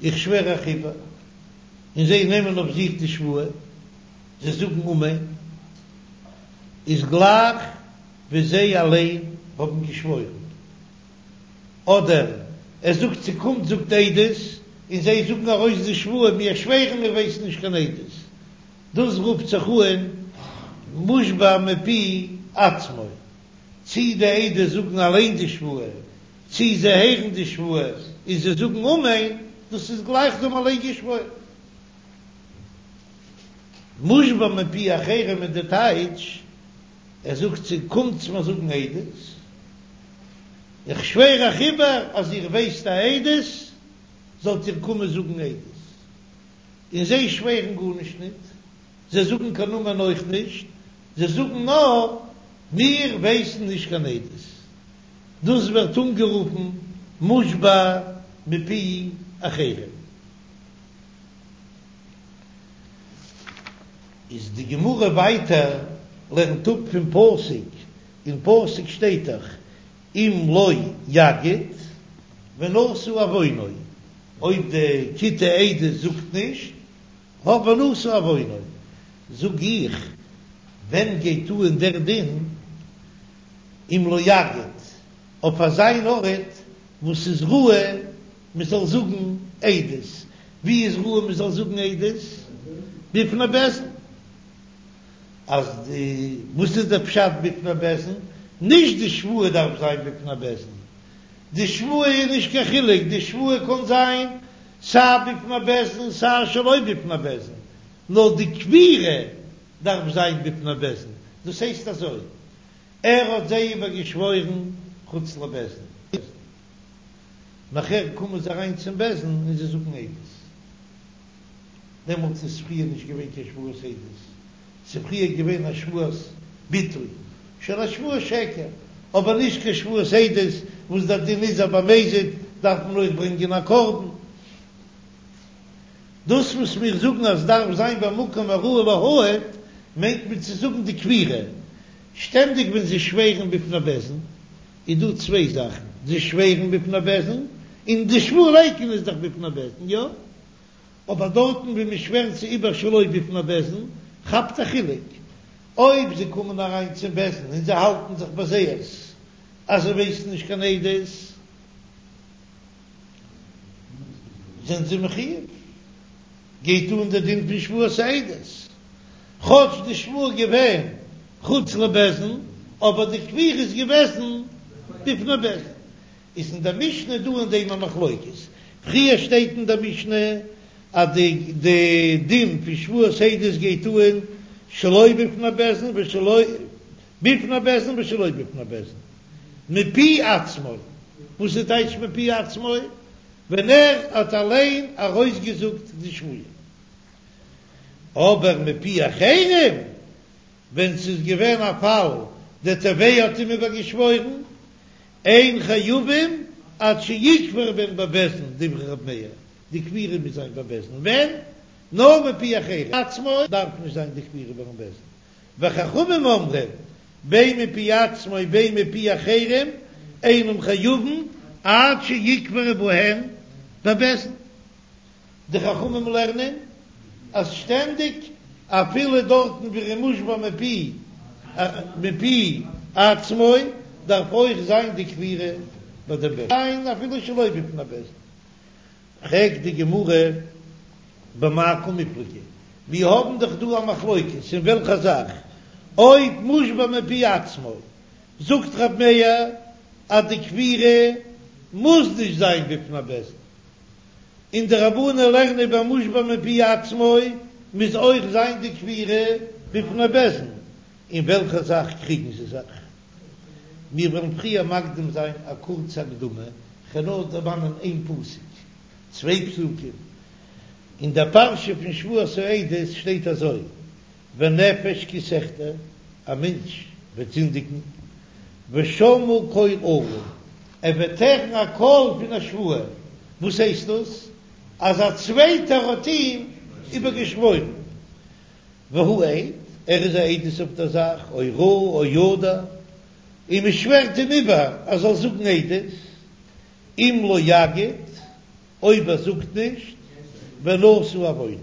איך שווער אייך איבער, און זיי נעמען אויף זיך די שבועה, זיי זאגן אמן, איז גלייך ווי זיי אליין האבן געשוואוירן. אדער ער זאגט צו קומט זאגט עדות, און זיי זאגן ארויס די שבועה, מיר שווערן מיר ווייסן נישט קיין עדות. דאס רופט זיך אן מושבע מפי עצמו, צי די עדות זאגן אליין די שבועה, צי זיי הערן די שבועה און זיי זאגן אמן, דאס איז גלייך זיי האבן אליין געשוואוירן. מושבע מפי אחרים איז די טייטש, ער זאגט צו קומטס מיר זאגן עדות, איך שווער אייך איבער אז איר ווייסט א עדות, זאלט איר קומען זאגן עדות. און זיי שווערן גארנישט ניט, זיי זאגן קיין אמן אויך נישט, זיי זאגן נאר, מיר ווייסן נישט קיין עדות. דאס ווערט אנגערופן מושבע מפי אחרים. איז די גמרא ווייטער לערנט אפ פון פסוק, אין פסוק שטייט דאך אם לא יגיד ונשא עוונו, אויב די כיתי עדות זאגט נישט האט ונשא עוונו, זאג איך ווען גייט אן דער דין אם לא יגיד אויף אזא ארט וואס איז ראוי מען זאל זאגן עדות, ווי איז ראוי מען זאל זאגן עדות? בפני בית דין. אז די, וואס איז דער פשט בפני בית דין? נישט די שבועה דארף זיין בפני בית דין, די שבועה איז נישט קיין חילוק, די שבועה קען זיין סיי בפני בית דין סיי שלא בפני בית דין, נאר די כפירה דארף זיין בפני בית דין, דאס הייסט אזוי, ער האט זיי איבער געשוואוירן חוץ לבית דין. נאכער קומען זיי אריין צום בית דין און זיי זאגן עדות. דעמאלטס איז פריער נישט געווען קיין שבועת עדות, ס'איז פריער געווען א שבועת ביטוי, שוין א שבועת שקר, אבער נישט קיין שבועת עדות, וואס דער דין איז אז במזיד דארף מען אויך ברענגען א קרבן. דאס וואס מיר זאגן אז דארף זיין במקום הראוי להעיד, מיינט מען צו זאגן די כפירה. שטענדיג ווען זיי שווערן בפני בית דין, איז דא צוויי זאכן, זיי שווערן בפני בית דין, און די שבועה לייקענען איז דאך בפני בית דין, יא? אבער דארטן ווי מען שווערט זיי איבער שלא בפני בית דין, כאפט א חילוק, אויב זיי קומען אריין צום בית דין און זיי האלטן זיך ביי זייערס אז זיי ווייסן נישט קיין עדות, זענען זיי מחויב, גייט אן דער דין פון שבועת העדות, כאטש די שבועה איז געווען חוץ לבית דין, אבער די כפירה איז געוועזן בפני בית דין. איז אין דער משנה דא אין דעם א מחלוקת. פריער שטייט אין דער משנה אז די די דין פון שבועת העדות גייט אן שלא בפני בית דין ושלא בפני בית דין ושלא בפני בית דין מפי עצמו. וואס איז טייטש מפי עצמו? ווען ער האט אליין ארויסגעזאגט די שבועה. אבער מפי אחרים, ווען ס'איז געווען א פאל דער תובע האט אים איבערגעשוואוירן, אין חייבים עד שיכפר בהן בבית דין, דברי ר' מאיר, די כפירה מוז זיין בבית דין, ווען? נאר מפי אחרים, עצמו דארף נישט זיין די כפירה ביים בית דין, וחכמים אומרים בין מפי עצמו בין מפי אחרים אינם חייבים עד שיכפרו בהן בבית דין. די חכמים לערנען אז שטענדיג אפילו דארטן ווי ער איז מושבע מפי מפי עצמו דארף אויך זיין די כפירה ביי דעם בית דין אפילו שלא בפני בית דין. פרעגט די גמרא במאי קמיפלגי, מיר האבן דאך דא א מחלוקת אין וועלכע זאך, אויב מושבע מפי עצמו, זאגט רב מאיר אז די כפירה מוז נישט זיין בפני בית דין, און די רבנן לערנען ביי מושבע מפי עצמו מוז אויך זיין די כפירה בפני בית דין, אין וועלכע זאך קריגן זיי זיך? מיר וועלן פריער מקדים זיין א קורצע הקדמה, כ'וועל נאר דערמאנען איין פסוק, צוויי פסוקים, אין דער פרשה פון שבועת העדות שטייט אזוי, ונפש כי תחטא, א מענטש וועט זינדיגן, ושמעו קול אלה, ער וועט הערן א קול פון א שבועה, וואס הייסט דאס? אז א צווייטער האט אים איבערגעשוואוירן, והוא עד, ער איז א עדות אויף דער זאך, או ראה או ידע, און מען שווערט אים איבער ער זאל זאגן עדות, אם לא יגיד, אויב ער זאגט נישט, ונשא עוונו.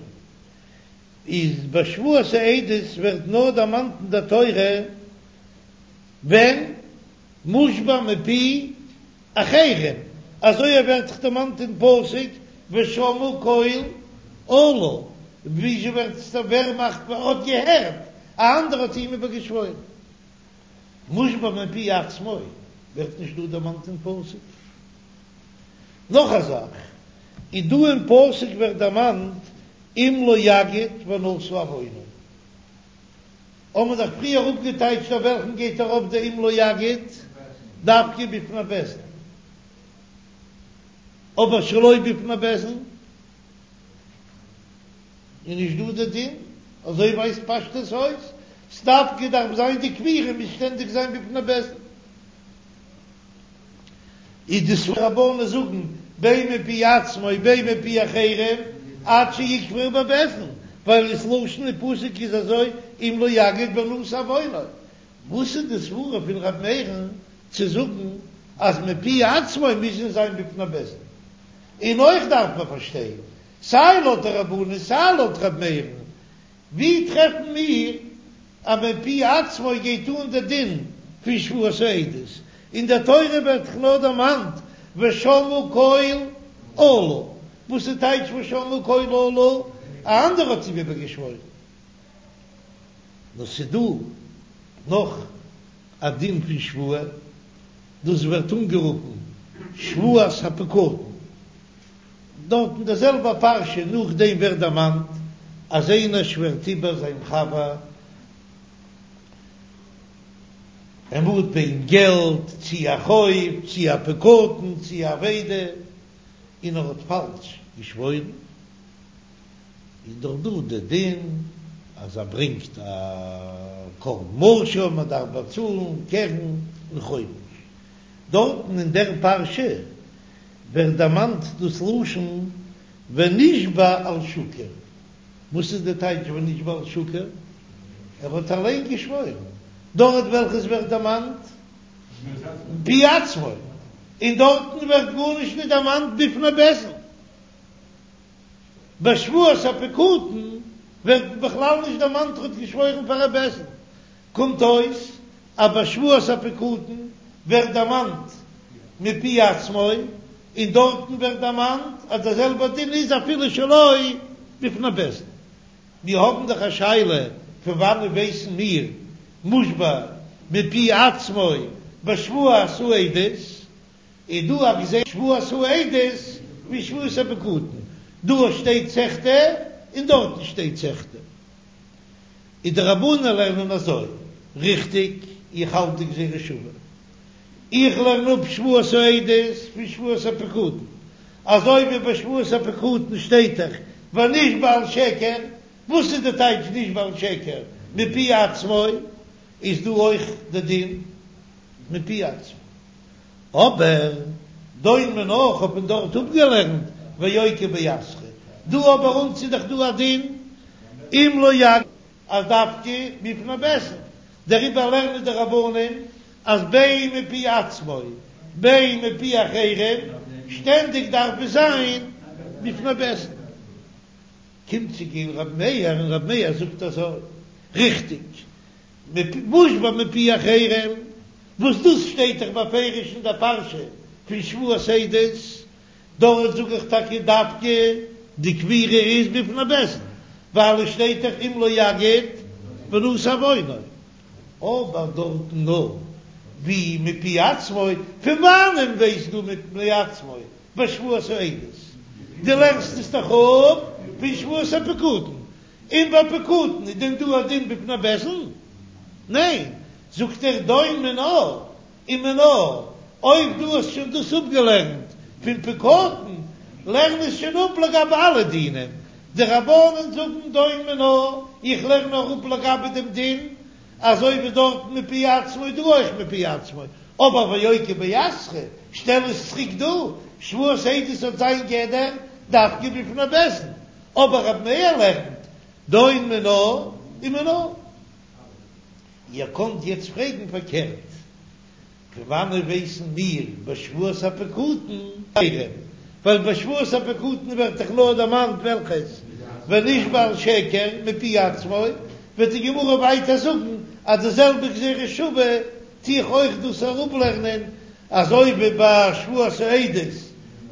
איז ביי שבועת העדות ווערט נאר דערמאנט אין דער תורה ווען מושבע מפי אחרים, אזוי ווערט דאך דערמאנט אין פסוק ושמעו קול אלה, וויאזוי ווערט עס ווער מאכט מען האט געהערט א אנדערע האט אים איבערגעשוואוירן, מושבע מפי עצמו ווערט נישט דא דערמאנט אין פסוק. נאך א זאך, איז דא אין פסוק ווערט דערמאנט אם לא יגיד ונשא עוונו. האבן מיר דאך פריער אפגעטייטשט אויף וועלכן גייט ארויף די אם לא יגיד דווקא בפני בית דין, אבער שלא בפני בית דין איז נישט דא די דין, אזוי ווייזט פשטות אויס, ס'דווקא דארף זיין די כפירה מוז שטענדיג זיין בפני בית דין. איז די סברא רבנן זאגן בין מפי עצמו בין מפי אחרים עד שיקברו בבית דין, ווייל דאס לשון אין פסוק איז אזוי אם לא יגיד ונשא עוונו, וואס איז די סברא פון ר' מאיר'ן צו זאגן אז מפי עצמו מוז עס זיין בפני בית דין? און אויך דארף מען פארשטיין סיי לויט די רבנן סיי לויט ר' מאיר'ן ווי טרעפן מיר אז מפי עצמו גייט אן די דין פון שבועת העדות? אין דער תורה ווערט דאך נאר דערמאנט ושמעו קול אלה, וואס איז טייטש ושמעו קול אלה? א אנדערע האט אים איבערגעשוואוירן. נאר ס'איז דא נאך א דין פון שבועה, דאס ווערט אנגערופן שבועת הפקדון. דארט אין דער זעלבער פרשה נאכדעם ווערט דערמאנט אז איינער שווערט איבער זיין חבר, ער מאנט ביי אים געלט, צי א חוב, צי א פקדון, צי א אבידה, און ער האט פאלש געשוואוירן, איז דאך דא די דין אז ער ברענגט א קרבן אשם, מען דארף באצאלן קרן און חומש. דארטן אין דער פרשה ווערט דערמאנט דאס לשון ונשבע על שקר, וואס איז די טייטש ונשבע על שקר? ער האט אליין געשוואוירן, דארט וועלכעס ווערט דערמאנט מפי עצמו, און דארטן ווערט גארנישט נישט דערמאנט בפני בית דין. ביי שבועת הפקדון ווערט בכלל נישט דערמאנט ער האט געשוואוירן פאר א בית דין, קומט אויס אז ביי שבועת הפקדון ווערט דערמאנט מפי עצמו, און דארטן ווערט דערמאנט אז דער זעלבער דין איז אפילו שלא בפני בית דין. מיר האבן דאך א שאלה, פון וואנען ווייסן מיר מושבע מפי עצמו בשבועת העדות? איז דא א גזירה שבועת העדות ווי שבועת הפקדון, דא שטייט תחטא און דארטן שטייט תחטא. איז די רבנן לערנען אזוי, ריכטיג? איך האלט די גזירה שווה. איך לערן אפ שבועת העדות פון שבועת הפקדון, אזוי ווי ביי שבועת הפקדון שטייט דאך ונשבע על שקר, וואס איז די טייטש נשבע על שקר? מפי עצמו, איז דא אויך די דין מפי עצמו. אבער דון מינה כ'האב פון דארט אפגעלערנט ואוקי באתרא, דא אבער אונז איז דאך דא א דין אם לא יגיד אז דווקא בפני בית דין, דעריבער לערנען די רבנן אז בין מפי עצמו בין מפי אחרים שטענדיג דארף עס זיין בפני בית דין. קומט צו גיין רבי מאיר און רבי מאיר זאגט אזוי, ריכטיג, מושבע מפי אחרים, וואס דאס שטייט דאך בפירוש אין דער פרשה פון שבועת עדות, דארט זאג איך טאקע דווקא די כפירה איז בפני בית דין, ווייל עס שטייט דאך אם לא יגיד ונשא עוונו, אבער דארטן נאר ווי מפי עצמו, פון וואנען ווייסט דו מפי עצמו בשבועת העדות? דו לערנסט עס דאך אפ פון שבועת הפקדון, און ביי פקדון איז דען דא א דין בפני בית דין? ניין, זאגט ער דון מינה ומינה, אויב דו האסט שוין דאס אפגעלערנט פון פקדון, לערן עס שוין אפ לגבי אלע דינים, די רבנן זאגן דון מינה, איך לערן נאר אפ לגבי דעם דין, אזוי ווי דארטן מפי עצמו דא אויך מפי עצמו, אבער ואוקי באתרא, שטעל עס צוריק דא, שבועת העדות האט זיין גדר דווקא בפני בית דין, אבער רב מאיר לערנט דון מינה ומינה. איר קאנט יעצט פרעגן פארקערט, פון וואנען ווייסן מיר בשבועת הפקדון ווייל בשבועת הפקדון ווערט דאך נאר דערמאנט וועלכעס ונשבע על שקר מפי עצמו, וועט די גמרא ווייטער זאגן אז די זעלבע גזירה שווה טו איך אויך דאס אראפלערנען, אזוי ווי ביי שבועת העדות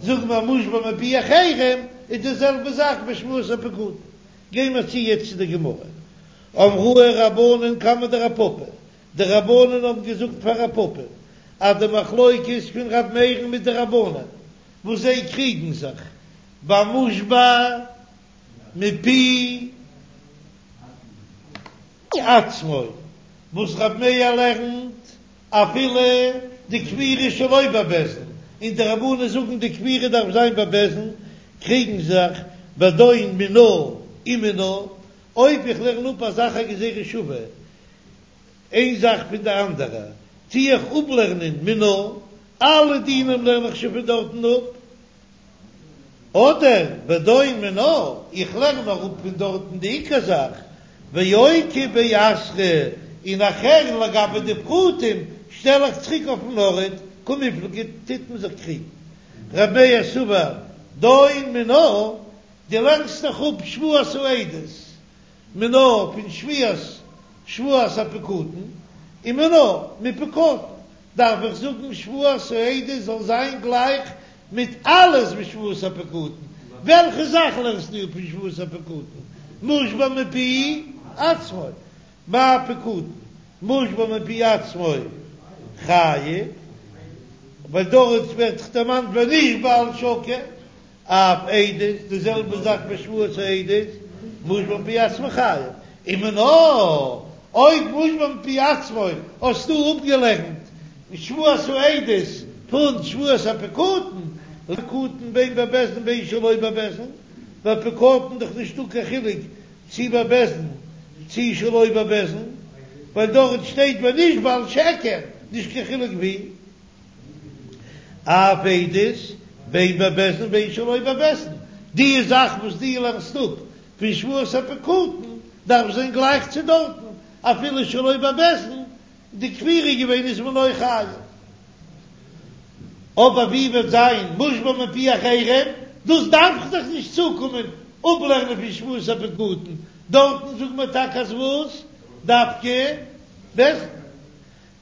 זאגן מיר מושבע מפי אחרים, איז די זעלבע זאך בשבועת הפקדון. גיי מיר צו יעצט צו די גמרא. אמרוה רבנן קמיה דרב פפא, די רבנן האבן געזאגט פאר רב פפא אז די מחלוקת פון רב מאיר'ן מיט די רבנן וואס זיי קריגן זיך במושבע מפי עצמו, וואס רב מאיר לערנט אפילו די כפירה שלא בבית דין, און די רבנן זאגן די כפירה דארף זיין בבית דין, קריגן זיך בדון מינה ומינה, אויב איך לערן אפ א זאך א גזירה שווה איין זאך פון די אנדערע, טו איך אפלערנען מינה, אלע דינים לערן איך שוין פון דארטן אפ, אדער בדון מינה, איך לערן נאר אפ פון דארטן די עיקר זאך, ואוקי באתרא, און נאכער לגבי די פרטים שטעל איך צוריק אויפן ארט, קמיפלגי טוט מען זיך קריגן. ר' מאיר סבר דון מינה, דו לערנסט דאך אפ שבועת העדות מינה פון שבועת שבועת הפקדון ומינה מפקדון, דארף איך זאגן שבועת העדות זאל זיין גלייך מיט אלעס ווי שבועת הפקדון, וועלכע זאך לערנסטו אפ פון שבועת הפקדון? מושבע מפי עצמו, מה פקדון? מושבע מפי עצמו חייב, ווייל דארט ווערט דאך דערמאנט ונשבע על שקר, אף עדות, די זעלבע זאך ביי שבועת העדות, מושבע מפי עצמו חייב, ומינה, אויב מושבע מפי עצמו האסטו אפגעלערנט שבועת העדות פון שבועת הפקדון, פקדון בין בבית דין בין שלא בבית דין, ביי פקדון דאך נישטא קיין חילוק צי בבית דין צי שלא בבית דין, ווייל דארט שטייט ונשבע על שקר, נישט קיין חילוק ווי. אף עדות, בין בבית דין בין שלא בבית דין, די זאך וואס דו לערנסט אפ פון שבועת הפקדון דארף זיין גלייך צו דארטן, אפילו שלא בבית דין, די כפירה געווען איז מען אויך חייב. אבער ווי וועט זיין מושבע מפי אחרים, דאס דארף איך דאך נישט צוקומען אפלערנען פון שבועת הפקדון, דארטן זאגט מען טאקע אז וואס? דווקא בית דין.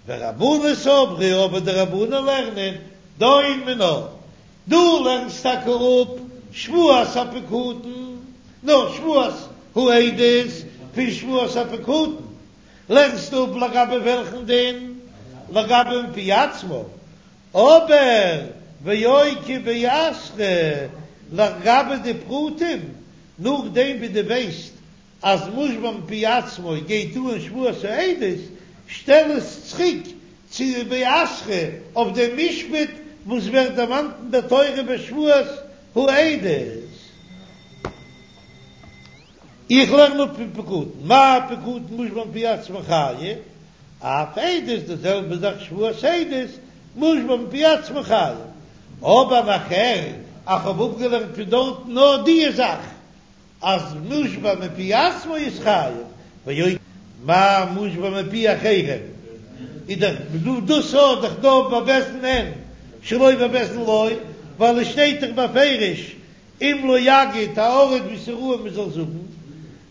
ורבנן סברי אבער די רבנן לערנען דון מינה, דו לערנסט טאקע אפ שבועת הפקדון, נאר שבועת העדות פון שבועת הפקדון לערנסטו אפ לגבי וועלכן דין? לגבי מפי עצמו, אבער ואוקי באתרא לגבי די פרטים נאכדעם ווי דו ווייסט אז מושבע מפי עצמו גייט אן שבועת העדות, שטעל עס צוריק צו באתרא אויף דעם משפט וואס ווערט דערמאנט אין דער תורה בשבועת העדות. איך לערן אפ פון פקדון, מה פקדון מושבע מפי עצמו חייב, אף עדות די זעלבע זאך שבועת העדות מושבע מפי עצמו חייב, אבער נאכער איך האב אפגעלערנט פון דארט נאר די זאך אז מושבע מפי עצמו איז חייב, ואוקי מה מושבע מפי אחרים, איז דאך דא דאס האט דאך דא בבית דין אין שלא בבית דין לא, ווייל עס שטייט דאך בפירוש אם לא יגיד הארט ווי ס'ראוי מ'זאל זאגן,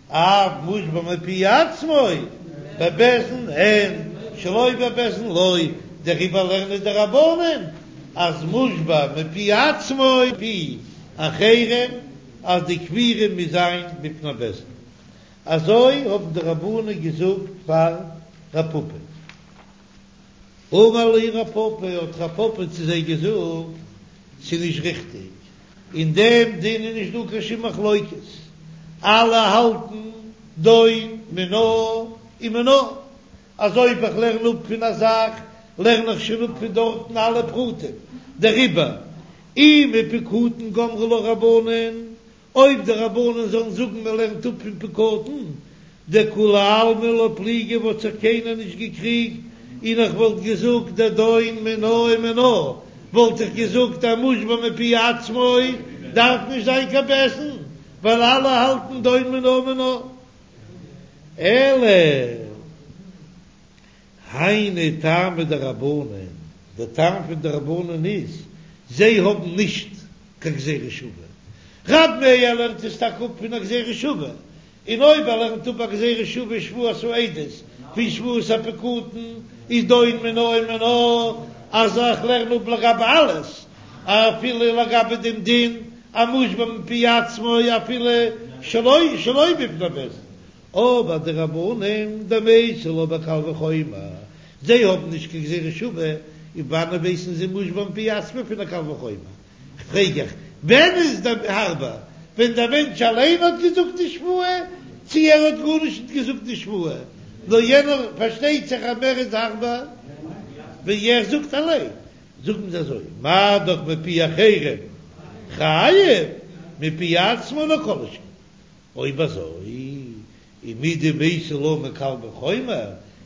אף מושבע מפי עצמו בבית דין אין שלא בבית דין לא, דעריבער לערנען די רבנן אז מושבע מפי עצמו מפי אחרים אז די כפירה מוז זיין בפני בית דין, אזוי האבן די רבנן געזאגט פאר רב פפא. אמר להו רב פפא, האט רב פפא צו זיי געזאגט, ס'איז נישט ריכטיג, אין דעם דין איז נישט דא קיין שום מחלוקת, אלע האלטן דון מינה ומינה, אז אויב איך לערן אפ פון א זאך, לערן איך שוין אפ פון דארטן אלע פרטים, דעריבער אי מפקדון גמרי לה רבנן, אויב די רבנן זאלן זאגן מען לערנט אפ פון פקדון, דכולי עלמא לא פליגי וואלט זיך קיינער נישט געקריגט, און איך וואלט געזאגט דדון מינה ומינה, וואלט איך געזאגט אז מושבע מפי עצמו דארף נישט זיין קיין בית דין, ווייל אלע האלטן דון מינה ומינה. אלא היינו טעמא דרבנן, דער טעם פון די רבנן איז, זיי האבן נישט קיין גזירה שווה. ר' מאיר לערנט עס טאקע אפ פון א גזירה שווה, און אויב ער לערנט אפ א גזירה שווה שבועת העדות פון שבועת הפקדון איז דון מינה ומינה, אז איך לערן אפ לגבי אלעס, אפילו לגבי דעם דין המושבע מפי עצמו אפילו שלא שלא בפני בית דין, אבער די רבנן דמייתי לה בקל וחומר, זיי האבן נישט קיין גזירה שווה, און וואנען ווייסן זיי מושבע מפי עצמו פון א קל וחומר? כ'פרעג איך, ווען איז די הארבער? ווען דער מענטש אליין האט געזאגט די שבועה, צי ער האט גארנישט נישט געזאגט די שבועה, נאר יענער, פארשטייט זיך אז מער איז הארבער ווען ער זאגט אליין. זאגן זיי אזוי, מה דאך מפי אחרים חייב, מפי עצמו לא כל שכן. אויב אזוי, ומדמייתי לה מקל וחומר,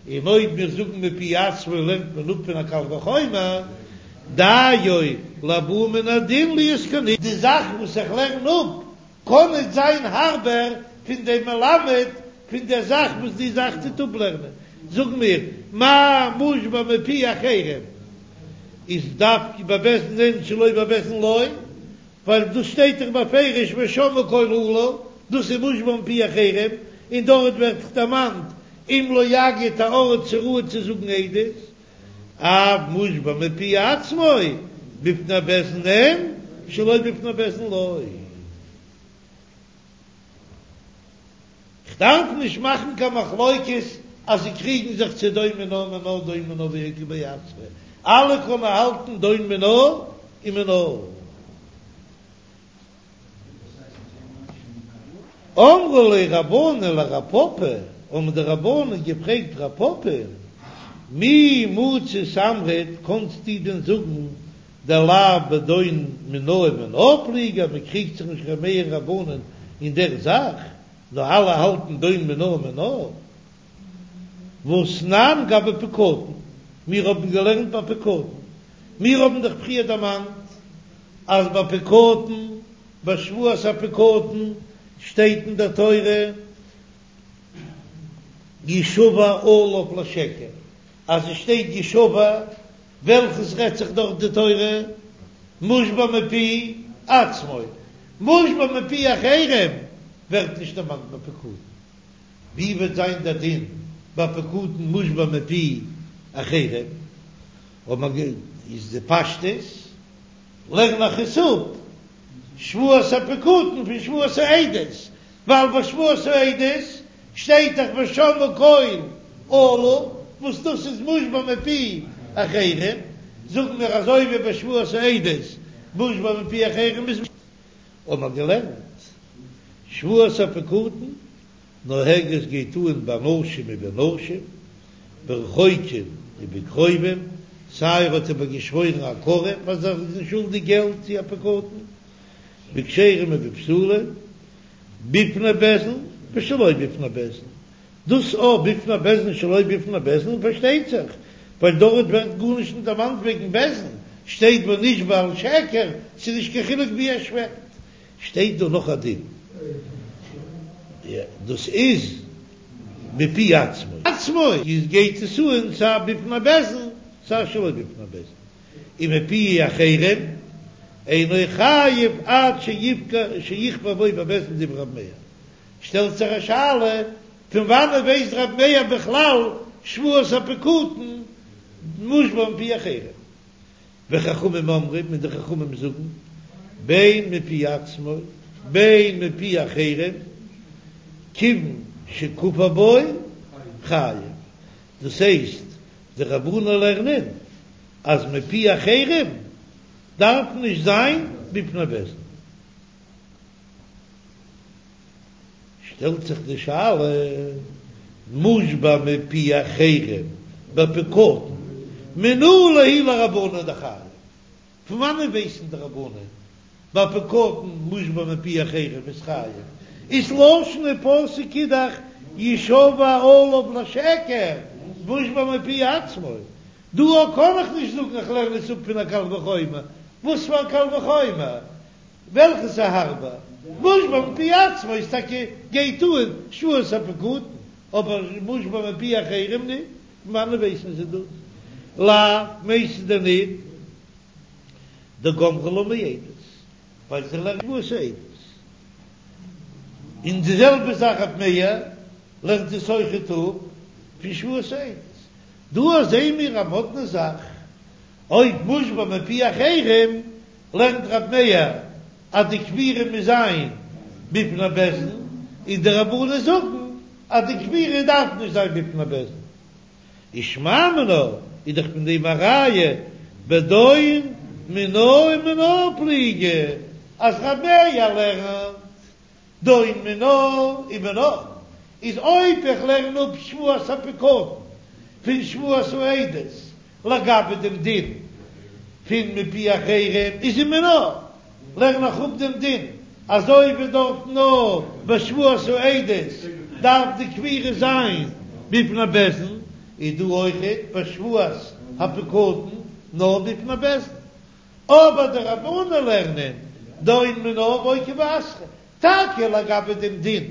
און אויב מיר זאגן מפי עצמו לערנט מען אפ פון א קל וחומר, דיו לבא מן הדין להיות כנשבע. די זאך וואס איך לערן אפ קען נישט זיין הארבער פון דעם מלמד פון דער זאך וואס די זאך טוט אפלערנען. זאג מיר, מה מושבע מפי אחרים איז דווקא בבית דין אין שלא בבית דין לא, ווייל דאס שטייט דאך בפירוש ושמעו קול אלה, דאס איז מושבע מפי אחרים, און דארט ווערט דאך דערמאנט אם לא יגיד א ארט צו ראוי צו זאגן עדות, אף מושבע מפי עצמו בפני בית דין אין שלא בפני בית דין לא. כ'דארף נישט מאכן קיין מחלוקת אז זיי קריגן זיך צו דון מינה ומינה דון מינה ואוקי ביה עצמיה, אלע קענען האלטן דון מינה ומינה. אמרו ליה רבנן לרב פפא, האבן די רבנן געפרעגט רב פפא, מי מצית אמרת, קאנסטו דען זאגן דלאו בדון מינה ומינה פליגי, מען קריגט זיך נישט ר' מאיר רבנן אין דער זאך, נאר אלע האלטן דון מינה ומינה. והתנן גבי פקדון, מיר האבן געלערנט ביי פקדון, מיר האבן דאך פריער דערמאנט אז ביי פקדון, ביי שבועת הפקדון שטייט אין דער תורה ישבע עליו לשקר, אז עס שטייט ישבע וועלכעס רעדט זיך דארט די תורה מושבע מפי עצמו, מושבע מפי אחרים ווערט נישט דערמאנט ביי פקדון, ווי וועט זיין דער דין ביי פקדון מושבע מפי אחרים, אויב איז די פשטות לערן איך עס אפ שבועת הפקדון פון שבועת העדות, ווייל ביי שבועת העדות שטייט דאך ושמעו קול אלה, וואס דאס איז מושבע מפי אחרים, זאגן מיר אזוי ווי ביי שבועת העדות מושבע מפי אחרים איז האבן מיר געלערנט שבועת הפקדון נוהגת גייט אן באנשים ובנשים ברחוקים ובקרובים, סיי ער האט איבער געשוואוירן א קרוב אז ער איז אים שולדיג געלט צו א פקדון, בכשרים ובפסולים, בפני בית דין ושלא בפני בית דין, דאס א בפני בית דין שלא בפני בית דין פארשטייט זיך, ווייל דארט ווערט גארנישט נישט דערמאנט וועגן בית דין, שטייט ונשבע על שקר, ס'איז נישט קיין חילוק ווי ער שווערט. שטייט דא נאך א דין, דאס איז מפי עצמו. עצמו איז גייט עס אן סיי בפני בית דין סיי שלא בפני בית דין, ומפי אחרים אינו חייב עד שיכפר בו בבית דין דברי רב מאיר. שטעלט זיך א שאלה, פון וואנעט ווייסט רב מאיר בכלל שבועת הפקדון מושבע מפי אחרים? וחכמים אומרים, און די חכמים זאגן, בין מפי עצמו בין מפי אחרים, כיוון שכפר בו חייב. דאס הייסט, די רבנן לערנען אז מפי אחרים דארף נישט זיין בפני בית דין. שטעלט זיך די שאלה, מושבע מפי אחרים בפקדון מנא להו לרבנן דחייב? פון וואנען ווייסן די רבנן ביי פקדון מושבע מפי אחרים איז חייב? איז לשון הפסוק איז דאך ישבע עליו לשקר מושבע מפי עצמו, דא קען איך נישט זאגן איך לערן עס אפ פון א קל וחומר, וואס פאר א קל וחומר? וועלכעס איז הארבער? מושבע מפי עצמו איז טאקע גייט אן שבועת הפקדון, אבער מושבע מפי אחרים ניט, פון וואנען ווייסן זיי דאס? לאו מיינסטו דען ניט דגמרי לה מעדות, ווייל זיי לערנען שבועת העדות. און די זעלבע זאך רב מאיר לערנט עס אויכעט אפ פון שבועת העדות. דא זעען מיר א מאדנע זאך, אויב מושבע מפי אחרים לערנט רב מאיר אז די כפירה מוז זיין בפני בית דין, און די רבנן זאגן אז די כפירה דארף נישט זיין בפני בית דין. ושמע מינה איז דאך פון דעם א ראיה בדון מינה ומינה פליגי אז רב מאיר לערנט דון מינה ומינה איז אויב איך לערן אפ שבועת הפקדון פון שבועת העדות לגבי דעם דין פון מפי אחרים איז ומינה לערן איך אפ דעם דין אזוי ווי דארט נאר ביי שבועת העדות דארף די כפירה זיין בפני בית דין איז דא אויכעט ביי שבועת הפקדון נאר בפני בית דין אבער די רבנן לערנען דון מינה ואוקי באתרא, טאקע לגבי דעם דין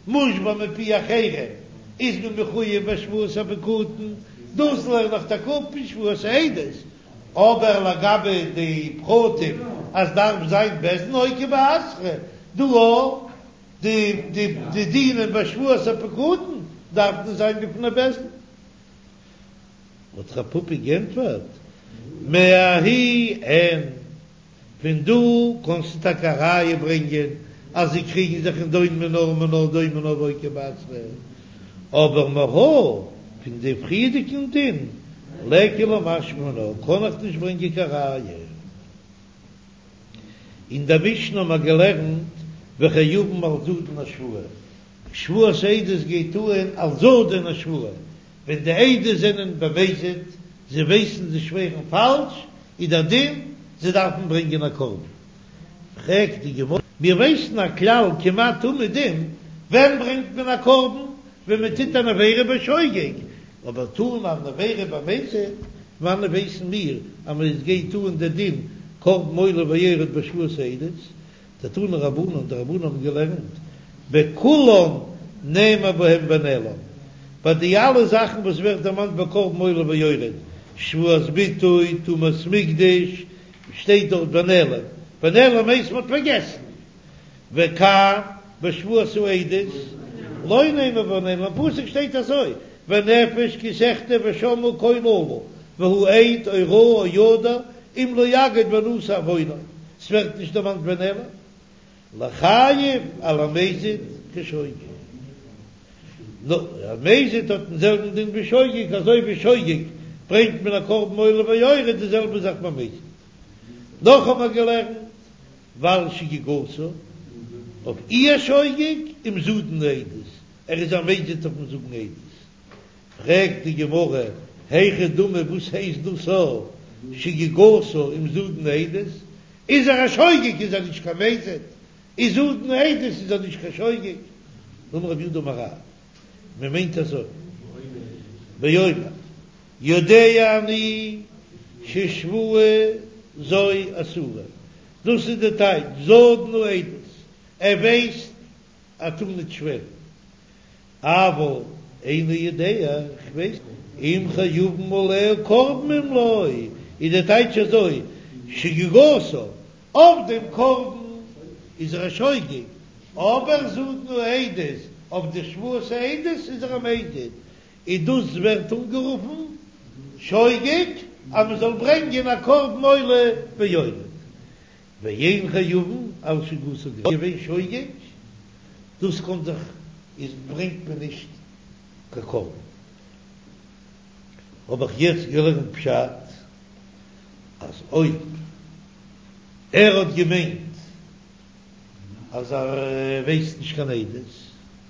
מושבע מפי אחרים איז מען מחויב ביי שבועת הפקדון, דאס לערן איך טאקע אפ פון שבועת העדות, אבער לגבי די פרטים אז דארף זיין בית דין אוקי באתרא, דא אויך די די דינים ביי שבועת הפקדון דארף מען זיין בפני בית דין. האט רב פפא גענטפערט, מההיא אין, פון דא קענסטו טאקע א ראיה ברענגען אז זיי קריגן זיך אין דון מינה ומינה דון מינה ואוקי באתרא, אבער מהא פון די פריערדיגן דין ליכא למשמע מינה קען איך נישט ברענגען קיין ראיה. אין דער משנה האבן מיר געלערנט וחייבין על זדון השבועה, שבועת עדות גייט אן על זדון השבועה, ווען די עדות זענען במזיד, זיי ווייסן זיי שווערן פאלש, איז דער דין זיי דארפן ברענגען א קרבן. פרעגט די גמרא, מיר ווייסן א כלל כמעט תמיד דין, ווען ברענגט מען א קרבן? ווען מען טוט אן עבירה בשוגג, אבער טון אן עבירה במזיד, וואנען ווייסן מיר אז מען גייט אן דער דין קרבן עולה ויורד בשבועת העדות? דתנו רבנן, די רבנן האבן געלערנט, בכולן נאמר בהם ונעלם, ביי די אלע זאכן וואס ווערט דערמאנט ביי קרבן עולה ויורד, שבועת ביטוי, טומאת מקדש, שטייט דארט ונעלם, ונעלם הייסט מ'האט פארגעסן, וכאן בשבועת העדות לא נאמר ונעלם, אין פסוק שטייט אזוי, ונפש כי תחטא ושמעה קול אלה, והוא עד או ראה או ידע, אם לא יגיד ונשא עוונו, ס'ווערט נישט דערמאנט ונעלם, לחייב על המזיד כשוגג. נו, א מזיד האט דעם זעלבן דין ווי שוגג, אזוי ווי שוגג ברענגט מען א קרבן עולה ויורד, די זעלבע זאך ביי מזיד. נאך האבן מיר געלערנט, ועל שגגתה, אויף איר שוגג אם זדון העדות, ער איז א מזיד אויפן זאגן עדות. פרעגט די גמרא, היכי דמי וואס הייסט דאס א שגגתה אם זדון העדות? איז ער א שוגג איז ער נישט קיין מזיד, איז זדון העדות איז ער נישט קיין שוגג. אמר רב יהודה אמר רב, מען מיינט אזוי, באומר יודע אני ששבועה זו אסורה, דאס איז די טייטש זדון העדות, ער ווייסט ער טאר נישט שווערן, אבל איני יודע, איך ווייס נישט, אם חייבין עליה קרבן אם לא, איז די טייטש אזוי, שגגתה, אויף דעם קרבן איז ער א שוגג, אבער זדון העדות, אויף די שבועת העדות איז ער א מזיד, און דאס ווערט אנגערופן שוגג, אז מען זאל ברענגען א קרבן עולה ויורד. ואין חייבין על שגגתה געווען שוגג, דאס קען זיך איז ברענגט מען נישט קיין קרבן. האב איך יעצט געלערנט פשט אז אויב ער האט געמיינט אז ער ווייסט נישט קיין עדות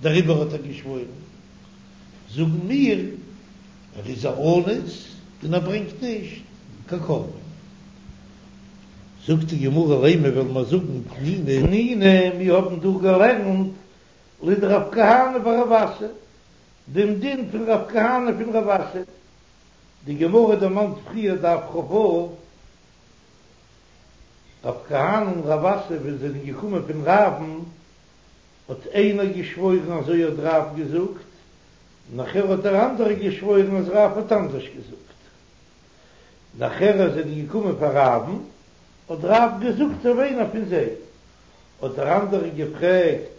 דעריבער האט ער געשוואוירן, זאגן מיר ער איז א אנוס און ער ברענגט נישט קיין קרבן. זאגט די גמרא לימא וועלן מיר זאגן תנינא. תנינא, מיר האבן דא געלערנט לדרב כהנא ורב אסי, דעם דין פון רב כהנא פון רב אסי, די גמרא דערמאנט פריער דף כ"ו, רב כהנא און רב אסי ווען זיי זענען געקומען פון רב'ן האט איינער געשוואוירן אזוי האט רב געזאגט, נאכער האט דער אנדערער געשוואוירן אז רב האט אנדערש געזאגט, נאכער אז זיי זענען געקומען פאר רב'ן האט רב געזאגט אזוי ווי איינער פון זיי, האט דער אנדערער געפרעגט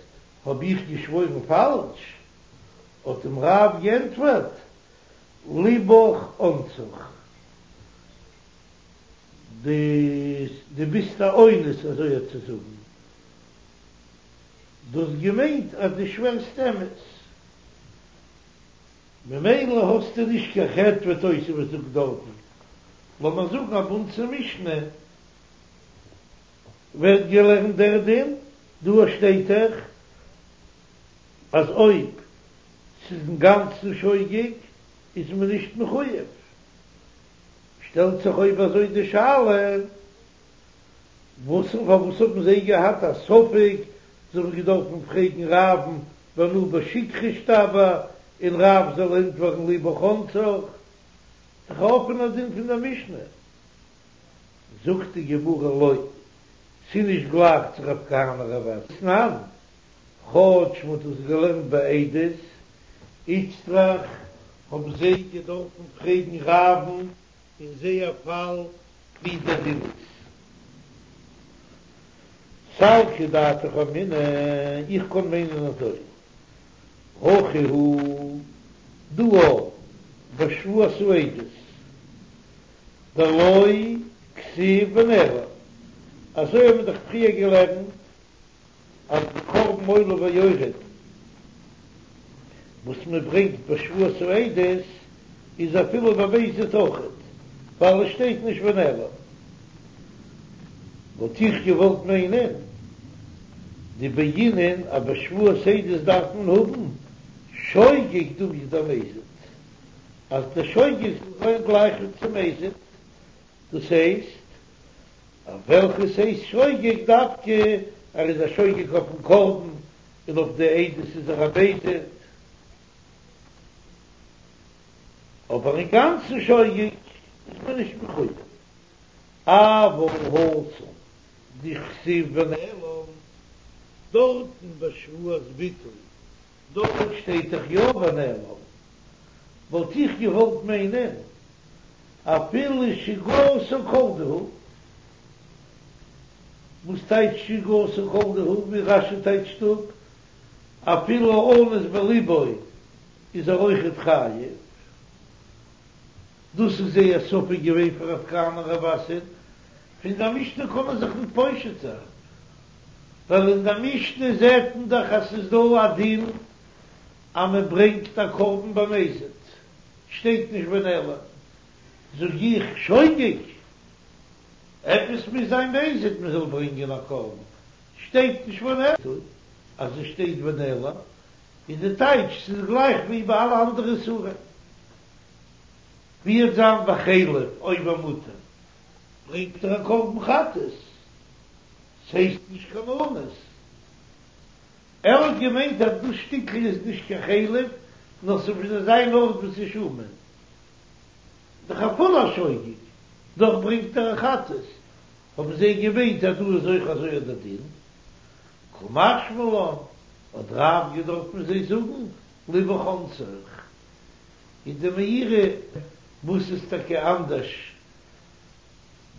האב איך געשוואוירן פאלש? האט אים רב געענטפערט לבך אנסך, דו ביסט א אונס אזוי צו זאגן, דו האסט געמיינט אז דו שווערסט אמת, ממילא האסטו נישט קיין חטא ווי תוספות זאגט דארטן, לאמיר זאגן אז ביי אונז אין משנה ווערט געלערנט דער דין, דא שטייט דאך אז אויב ס'איז אינגאנצן שוגג איז מען נישט מחויב, שטעלט זיך אויב אזוי די שאלה, וואס און פארוואס האבן זיי געהאט א ספק, זיי האבן געדארפן פרעגן רב'ן ואנא בשכרא אשתבע, און רב זאל ענטפערן לבך אנסך, דאך א אפענער דין פון דער משנה. זאגט די גמרא לא, ס'איז נישט גלייך צו רב כהנא רב אסי תנן, כאטש מ'האט דאס געלערנט ביי עדות, איצטריך האבן זיי געדארפן פרעגן רב'ן אין זייער פאל ווי דער דין איז. סלקא דעתך אמינא, איך קען מיינען אזוי, הכא הוא דא בשבועת העדות דלא כתיב ונעלם, אזוי האבן מיר דאך פריער געלערנט אז די קרבן עולה ויורד וואס מען ברענגט בשבועת העדות איז אפילו במזיד אויכעט, ווייל עס שטייט נישט ונעלם. וואלט איך געוואלט מיינען דבעינן אז בשבועת העדות דארף מען האבן שוגג דומיא דמזיד, אז דער שוגג זאל זיין גלייך צום מזיד, דאס הייסט אויף וועלכעס הייסט שוגג דווקא ער איז א שוגג אויפן קרבן און אויף די עדות איז ער א מזיד, אבער אינגאנצן שוגג איז מען נישט מחויב. אבל התם דכתיב ונעלם, דארטן בשבועת ביטוי דארט שטייט דאך יא ונעלם, וואלט איך געוואלט מיינען אפילו שגגתו כל דהו, וואס טייטש שגגתו כל דהו, ווי רש"י טייטשט אפ, אפילו אנוס בליבו איז ער אויכעט חייב, דאס איז זייער ספק געווען פאר רב כהנא רב אסי, פון דער משנה קען מען זיך ניט פושט זיין, ווייל אין דער משנה זעט מען דאך אז ס'איז דא א דין אז מען ברענגט א קרבן במזיד, שטייט נישט ונעלם, זאג איך שוגג, עפעס מוז זיין מזיד מען זאל ברענגען א קרבן, שטייט נישט ונעלם, אז עס שטייט ונעלם איז די טייטש ס'איז גלייך ווי ביי אלע אנדערע איסורים. ווי וועט זיין בחלב אויב מותר ברענגט ער א קרבן חטאת, ס'הייסט נישט קיין אונס. ער האט געמיינט אז דאס שטיקל איז נישט קיין חלב נאר ס'מוז זיין ארט וואס איז שומן. דאך אפילו א שוגג, דאך ברענגט ער א חטאת. האבן זיי געמיינט אז דא איז אויך אזוי אט דער דין. קא משמע לן, האט רב געדארפט זיי זאגן לבך אנסך. איז די מאירי וואס איז טאקע אנדערש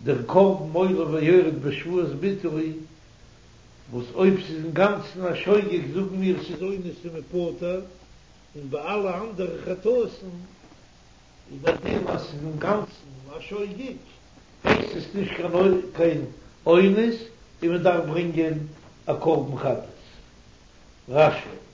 דער קרבן עולה ויורד בשבועת ביטוי, וואס אויב ס'איז אינגאנצן א שוגג זאגן מיר ס'איז אונס און מ'פטור, און ביי אלע אנדערע חטאת'ן איז דער דין אז ס'איז אינגאנצן א שוגג הייסט עס נישט קיין אונס און מ'דארף ברענגען א קרבן חטאת. רש"י.